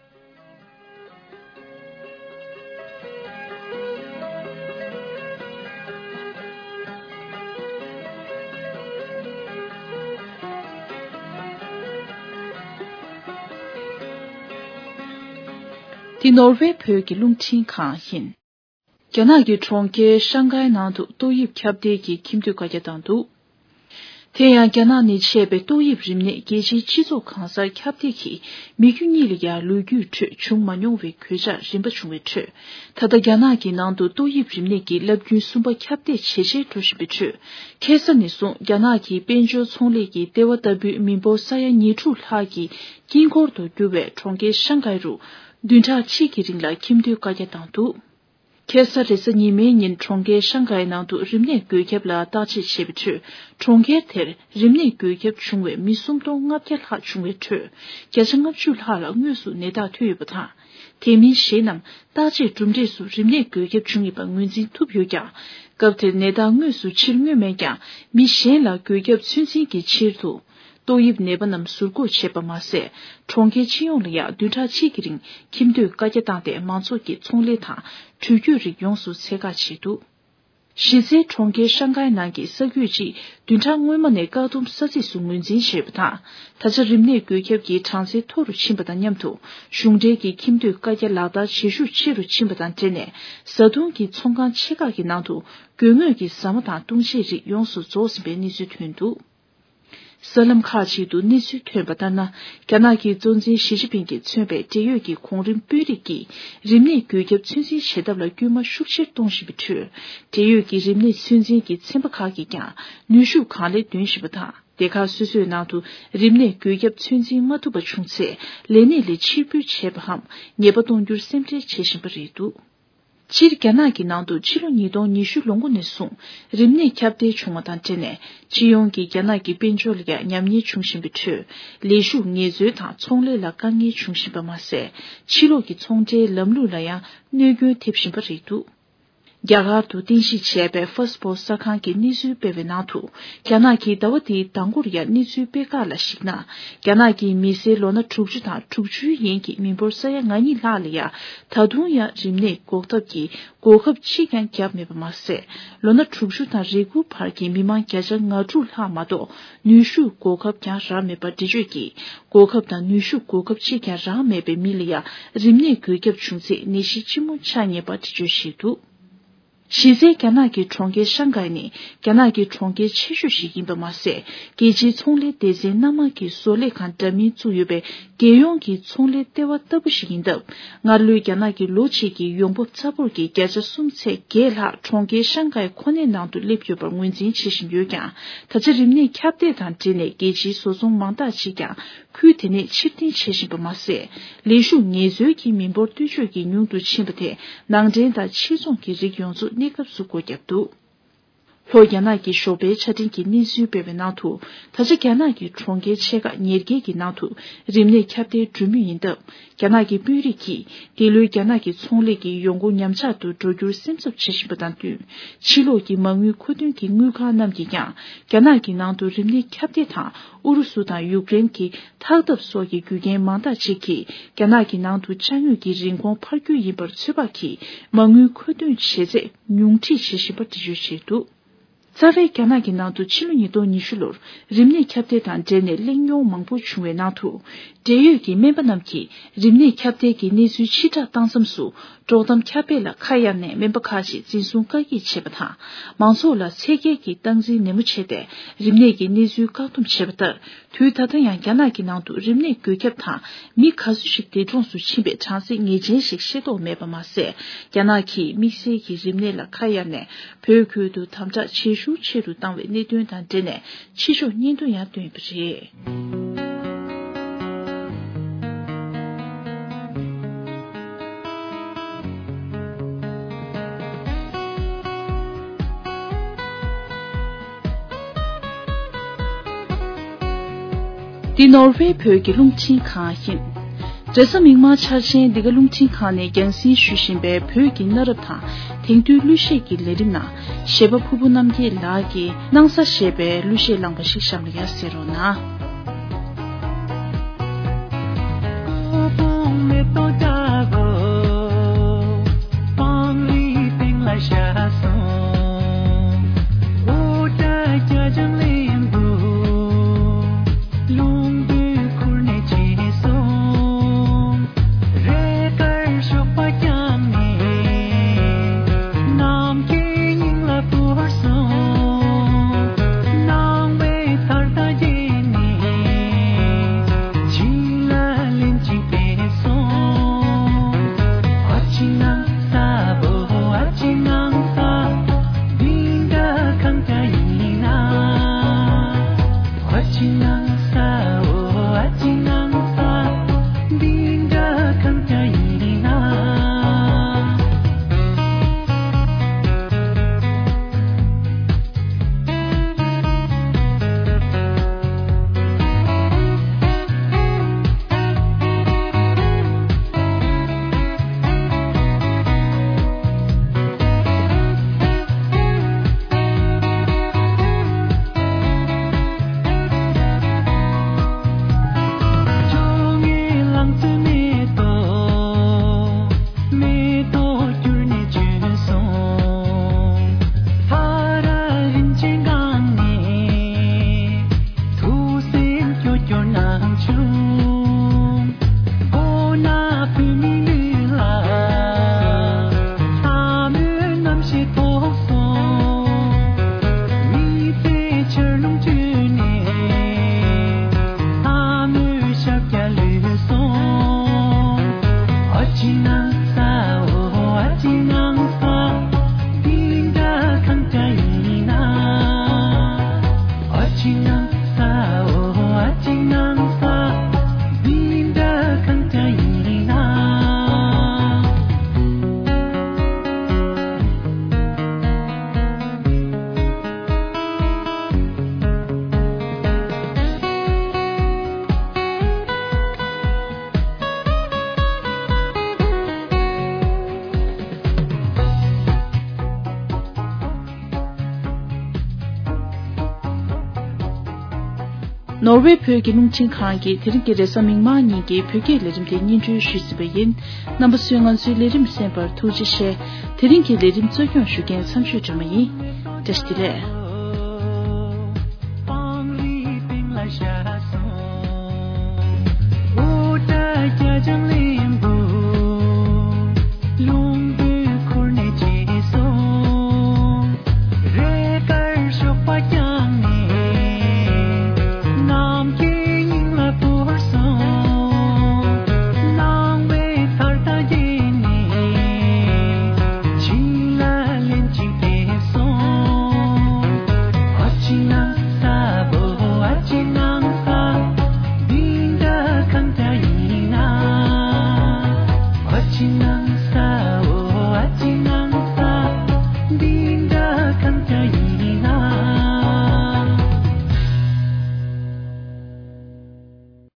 འདི་ནོར་ཝེ་བོད་ཀྱི་རླུང་འཕྲིན་ཁང་ཡིན། རྒྱ་ནག་གི་གྲོང་ཁྱེར་ཤང་ཀའི་ནང་དུ་ཏོག་དབྱིབས་ཁྱབ་གདལ་གྱི་ཁྱིམ་སྡོད་བཀའ་རྒྱ་བཏང་འདུག། དེ་ཡང་རྒྱ་ནག་ནས་མཆེད་པའི་ཏོག་དབྱིབས་རིམས་ནད་རྒྱལ་སྤྱིའི་སྤྱི་ཚོགས་གང་སར་ཁྱབ་གདལ་གྱིས་མི་རྒྱུ་གཉིས་ལ་ཡང་ལོ་རྒྱུས་ཁྲོད་བྱུང་མ་མྱོང་བའི་གོད་ཆག་རིམ་པ་བྱུང་བའི་ཁྲོད། ད་ལྟ་རྒྱ་ནག་གི་ནང་དུ་ཏོག་དབྱིབས་རིམས་ནད་ཀྱི་རླབས་རྒྱུན་གསུམ་པ་ཁྱབ་གདལ་ཇེ་ཆེར་འགྲོ་བཞིན་པའི་ཁྲོད། ཁ་སང་ནས་བཟུང་རྒྱ་ནག་གི་དཔལ་འབྱོར་ཚོང་ལས་ཀྱི་ལྟེ་བ་ལྟ་བུའི་མི་འབོར་ས་ཡ་ཉེར་དྲུག་ལྷག་གི་དཀྱིལ་འཁོར་དུ་གྱུར་བའི་གྲོང་ཁྱེར་ཤང་ཀའི་རུ་བདུན་ཕྲག་གཅིག་གི་རིང་ལ་ཁྱིམ་སྡོད་བཀའ་རྒྱ་བཏང་འདུག། ཁ་སང་རེས་གཟའ་ཉི་མའི་ཉིན་གྲོང་ཁྱེར་ཤང་ཀའི་ནང་དུ་རིམས་ནད་འགོས་ཁྱབ་ལ་བརྟག་དཔྱད་བྱས་པའི་ཁྲོད། གྲོང་ཁྱེར་དེར་རིམས་ནད་འགོས་ཁྱབ་བྱུང་བའི་མི་སུམ་སྟོང་ལྔ་བརྒྱ་ལྷག་བྱུང་བའི་ཁྲོད། བརྒྱ་ཆ་ལྔ་བཅུ་ལྷག་ལ་དངོས་སུ་ནད་རྟགས་ཐོན་ཡོད་པ་དང་། དེ་མིན་གཞན་རྣམས་བརྟག་དཔྱད་གྲུབ་འབྲས་སུ་རིམས་ནད་འགོས་ཁྱབ་བྱུང་ཡོད་པ་ངོས་འཛིན་ཐུབ་ཡོད་ཀྱང་། སྐབས་དེར་ནད་རྟགས་དངོས་སུ་ཕྱིར་མངོན་མེད་ཀྱང་། མི་གཞན་ལ་འགོས་ཁྱབ་ཚོད་འཛིན་གྱི་ཕྱིར་དུ། ཏོག་དབྱིབས་ནད་པ་རྣམས་ཟུར་འགོག་བྱས་པ་མ་ཟད། གྲོང་ཁྱེར་སྤྱི་ཡོངས་ལ་ཡང་བདུན་ཕྲག་གཅིག་གི་རིང་ཁྱིམ་སྡོད་བཀའ་རྒྱ་བཏང་སྟེ་མང་ཚོགས་ཀྱི་ཚོང་ལས་དང་འགྲུལ་སྐྱོད་རིགས་ཡོངས་སུ་ཚད་བཀག་བྱས་འདུག། གཞི་རྩའི་གྲོང་ཁྱེར་ཤང་ཀའི་ནང་གི་ས་ཁུལ་གཅིག་བདུན་ཕྲག་སྔོན་མ་ནས་བཀག་སྡོམ་ས་ཚིགས་སུ་ངོས་འཛིན་བྱས་པ་དང་། ད་ཆ་རིམས་ནད་འགོས་ཁྱབ་ཀྱི་གྲངས་ཚད་མཐོ་རུ་ཕྱིན་པ་དང་མཉམ་དུ། གཞུང་འབྲེལ་གྱི་ཁྱིམ་སྡོད་བཀའ་རྒྱ་ལག་བསྟར་བྱེད་ཤུགས་ཆེ་རུ་ཕྱིན་པ་དང་འབྲེལ་ནས། བཟའ་བཏུང་གི་ཚོང་ཁང་ཆེ་ཁག་གི་ནང་དུ་དགོས་ངེས་ཀྱི་ཟ་མ་དང་བཏུང་བྱའི་རིགས་ཡོངས་སུ་རྫོགས་ཟིན་པའི་གནས་ཚུལ་ཐོན་འདུག། གསར་ལམ་ཁག་ཅིག་ཏུ་གནས་ཚུལ་ཐོན་པ་ལྟར་ན། རྒྱ་ནག་གི་གཙོ་འཛིན་ཞི་ཅིན་ཕིང་གིས་མཚོན་པའི་འབྲེལ་ཡོད་ཀྱི་གོང་རིམ་དཔོན་རིགས་ཀྱིས་རིམས་ནད་འགོས་ཁྱབ་ཚོད་འཛིན་བྱེད་ཐབས་ལ་སྐུལ་མ་ཤུགས་ཆེར་གཏོང་བཞིན་པའི་ཁྲོད། འབྲེལ་ཡོད་ཀྱི་རིམས་ནད་ཚོད་འཛིན་གྱི་ཚན་པ་ཁག་གིས་ཀྱང་ནུས་ཤུགས་གང་ལེགས་འདོན་བཞིན་པ་དང་། སྡེ་ཁག་སོ་སོའི་ནང་དུ་རིམས་ནད་འགོས་ཁྱབ་ཚོད་འཛིན་མ་ཐུབ་པ་བྱུང་ཚེ། ལས་གནས་ལས་ཕྱིར་འབུད་བྱས་པའམ་ཉེས་པ་གཏོང་རྒྱུར་སེམས་ཁྲལ་བྱེད་བཞིན་པ་རེད་འདུག། སྤྱིར་རྒྱ་ནག་གི་ནང་དུ་ཕྱི་ལོ་ཉིས་སྟོང་ཉི་ཤུ་ལོ་འགོ་ནས་བཟུང་རིམས་ནད་ཁྱབ་གདལ་བྱུང་བ་དང་འབྲེལ་ནས། སྤྱི་ཡོངས་ཀྱི་རྒྱ་ནག་གི་དཔལ་འབྱོར་ལ་ཡང་ཉམས་ཉེས་འབྱུང་བཞིན་པའི་ཁྲོད། ལས་ཞུགས་ངལ་རྩོལ་དང་ཚོང་ལས་ལ་དཀའ་ངལ་འབྱུང་བཞིན་པ་མ་ཟད། ཕྱི་ལོགས་ཀྱི་ཚོང་འབྲེལ་ལམ་ལུགས་ལ་ཡང་གནོད་སྐྱོན་ཐེབས་བཞིན་པ་རེད་འདུག། རྒྱ་གར་དུ་རྟེན་གཞི་བྱས་པའི་ཧྥ་སི་པོ་གསར་ཁང་གིས་གནས་ཚུལ་སྤེལ་བའི་ནང་དུ། རྒྱ་ནག་གིས་ཟླ་བ་འདིའི་ཟླ་འགོར་ཡང་གནས་ཚུལ་སྤེལ་ཁག་ལ་གཞིགས་ན། རྒྱ་ནག་གི་མི་སེར་ལོ་ན་དྲུག་ཅུ་དང་དྲུག་ཅུའི་ཡན་གྱི་མི་འབོར་ས་ཡ་ང་གཉིས་ལྷག་ལ་ཡང་ད་དུང་ཡང་རིམས་ནད་འགོག་ཐབས་ཀྱི་གོ་སྐབས་གཅིག་ཀྱང་བརྒྱབ་མེད་པ་མ་ཟད། ལོ་ན་དྲུག་ཅུ་དང་རེ་དགུ་བར་གྱི་མི་མང་བརྒྱ་ཆ་ང་དྲུག་ལྷག་མ་གཏོགས་ནུས་ཤུགས་གོ་སྐབས་ཀྱང་རག་མེད་པ་འགྲེལ་བརྗོད་ཀྱིས། གོ་སྐབས་དང་ནུས་ཤུགས་གོ་སྐབས་གཅིག་ཀྱང་རག་མེད་པའི་མི་ལ་ཡང་རིམས་ནད་འགོས་ཁྱབ་བྱུང་ཚེ་ནད་གཞི་ལྕི་མོ་ཆགས་ངེས་པ་འགྲེལ་བརྗོད་བྱས་འདུག། གཞི་རྩའི་རྒྱ་ནག་གི་གྲོང་ཁྱེར་ཤང་ཀའི་ནི་རྒྱ་ནག་གི་གྲོང་ཁྱེར་ཆེ་ཤོས་ཤིག་ཡིན་པ་མ་ཟད། རྒྱལ་སྤྱིའི་ཚོང་ལས་སྡེ་ཚན་སྣ་མང་གི་བཟོ་ལས་ཁང་འདྲ་མིན་བཙུགས་ཡོད་པའི་རྒྱལ་ཡོངས་ཀྱི་ཚོང་ལས་ལྟེ་བ་ལྟ་བུ་ཞིག་ཡིན་སྟབས། སྔར་ལོའི་རྒྱ་ནག་གི་ལོ་གཅིག་གི་ཡོང་འབབ་ཚ་པོར་གྱི་བརྒྱ་ཆ་གསུམ་ཚེག་བརྒྱད་ལྷག་གྲོང་ཁྱེར་ཤང་ཀའི་ཁོ་ནའི་ནང་དུ་སླེབས་ཡོད་པར་ངོས་འཛིན་བྱེད་བཞིན་ཡོད་ཀྱང་། ད་ཆ་རིམས་ནད་ཁྱབ་གདལ་དང་འབྲེལ་ནས་རྒྱལ་སྤྱིའི་བཟོ་ཚོང་མང་དག་ཅིག་ཀྱང་ཁུལ་དེ་ནས་ཕྱིར་འཐེན་བྱེད་བཞིན་པ་མ་ཟད། ལས་ཞུགས་ངལ་རྩོལ་གྱི་མི་འབོར་སྟོབས་ཆེ་གི་ཉུང་དུ་ཕྱིན་པ་དེས་ནང་འདྲེན་དང་ཕྱིར་ཚོང་གི་རིགས་ཡོངས་རྫོགས་གནས་སྐབས་སུ་སྒོ་བརྒྱབ་འདུག། ལྷོ་རྒྱ་ནག་གི་ཞོགས་པའི་ཆ་འཕྲིན་གྱིས་གནས་ཚུལ་སྤེལ་བའི་ནང་དུ། ད་ཆ་རྒྱ་ནག་གི་གྲོང་ཁྱེར་ཆེ་ཁག་ཉེར་བརྒྱད་ཀྱི་ནང་དུ་རིམས་ནད་ཁྱབ་གདལ་འགྲོ་མུས་ཡིན་སྟབས། རྒྱ་ནག་གི་དཔོན་རིགས་ཀྱིས་འདི་ལོའི་རྒྱ་ནག་གི་ཚོང་ལས་ཀྱི་ཡོང་སྒོ་ཉམས་ཆག་ཏུ་འགྲོ་རྒྱུར་སེམས་འཚབ་བྱེད་བཞིན་པ་དང་བསྟུན། ཕྱི་ལོགས་ཀྱི་མ་དངུལ་མཁོ་འདོན་གྱི་དངུལ་ཁང་རྣམས་ཀྱིས་ཀྱང་རྒྱ་ནག་གི་ནང་དུ་རིམས་ནད་ཁྱབ་གདལ་དང་ཨུ་རུ་སུ་དང་ཡུཀ་རེན་གྱི་ཐག་གཏབ་སོགས་ཀྱི་རྒྱུ་རྐྱེན་མང་དག་ཅིག་གིས་རྒྱ་ནག་གི་ནང་དུ་ཅ་དངོས་ཀྱི་རིན་གོང་འཕར་རྒྱུ་ཡིན་པར་ཚོད་དཔག་གིས་མ་དངུལ་མཁོ་འདོན་བྱེད་ཚད་ཉུང་འཕྲི་བྱེད་བཞིན་པ་འགྲེལ་བརྗོད་བྱས་འདུག་རྩ་བའི་རྒྱ་ནག་གི་ནང་དུ་ཕྱི་ལོ་ཉིས་སྟོང་ཉི་ཤུ་ལོར་རིམས་ནད་ཁྱབ་གདལ་དང་འབྲེལ་ནས་གླེང་རྙོག་མང་པོ་བྱུང་བའི་ནང་དུ། འབྲེལ་ཡོད་ཀྱི་སྨན་པ་རྣམས་ཀྱིས་རིམས་ནད་ཁྱབ་གདལ་གྱི་གནས་ཚུལ་ཕྱིར་བསྒྲགས་བཏང་མཚམས་སུ། དཀྲོག་གཏམ་ཁྱབ་སྤེལ་ལ་ཁ་གཡར་ནས་སྨན་པ་ཁག་ཅིག་འཛིན་བཟུང་བཀག་སྐྱིལ་བྱས་པ་དང་། མང་ཚོགས་ལ་ཚད་བརྒལ་གྱི་སྟངས་འཛིན་ནན་མོ་བྱས་ཏེ། རིམས་ནད་ཀྱི་གནས་ཚུལ་བཀག་སྡོམ་བྱས་པ་ལྟར། དུས་ད་ལྟ་ཡང་རྒྱ་ནག་གི་ནང་དུ་རིམས་ནད་འགོས་ཁྱབ་དང་མི་ག་ཚོད་ཅིག་འདས་གྲོངས་སུ་ཕྱིན་པའི་གྲངས་གཞི་ངེས་ཅན་ཞིག་ཤེས་རྟོགས་མེད་པ་མ་ཟད། རྒྱ་ནག་གིས་དམིགས་བསལ་གྱི་རིམས་ནད་ལ་ཁ་གཡར་ནས་བོད་ཁུལ་དུ་དམ་དྲག་ཇེ་ཤུགས་ཆེ་རུ་བཏང་བའི་གནད་དོན་དང་འབྲེལ་ནས་ཕྱི་ཕྱོགས་བརྙན་ཐུང་ཡང་བཏོན་ཡོད་པ་རེད། འདི་ནོར་ཝེ་བོད་ཀྱི་རླུང་འཕྲིན་ཁང་ཡིན། རེས་གཟའ་མིག་དམར་འཆར་ཅན་འདི་ག་རླུང་འཕྲིན་ཁང་ནས་རྒྱང་སྲིང་ཞུ་བཞིན་པའི་བོད་ཀྱི་གནའ་རབས་དང་དེང་དུས་གླུ་གཞས་ཀྱི་ལས་རིམ་ནང་གཞས་པ་ཕུར་བུ་རྣམ་རྒྱལ་ལགས་ཀྱིས་སྣང་ས་ཞེས་པའི་གླུ་གཞས་བླངས་པ་ཞིག་གཤམ་ལ་ཡར་གསན་རོགས་གནང་། ནོར་ཝེ་བོད་ཀྱི་རླུང་འཕྲིན་ཁང་གིས་དེ་རིང་གི་རེས་གཟའ་མིག་དམར་ཉིན་གྱི་བོད་སྐད་ལས་རིམ་དེ་སྙན་སྒྲོན་ཞུས་ཟིན་པ་ཡིན། རྣམ་པ་ཚོས་ང་ཚོའི་ལས་རིམ་གསན་པར་ཐུགས་རྗེ་ཆེ། དེ་རིང་གི་ལས་རིམ་གཙོ་སྐྱོང་ཞུ་མཁན་མཚམས་ཆོས་སྒྲོལ་མ་ཡིན། བཀྲ་ཤིས་བདེ་ལེགས།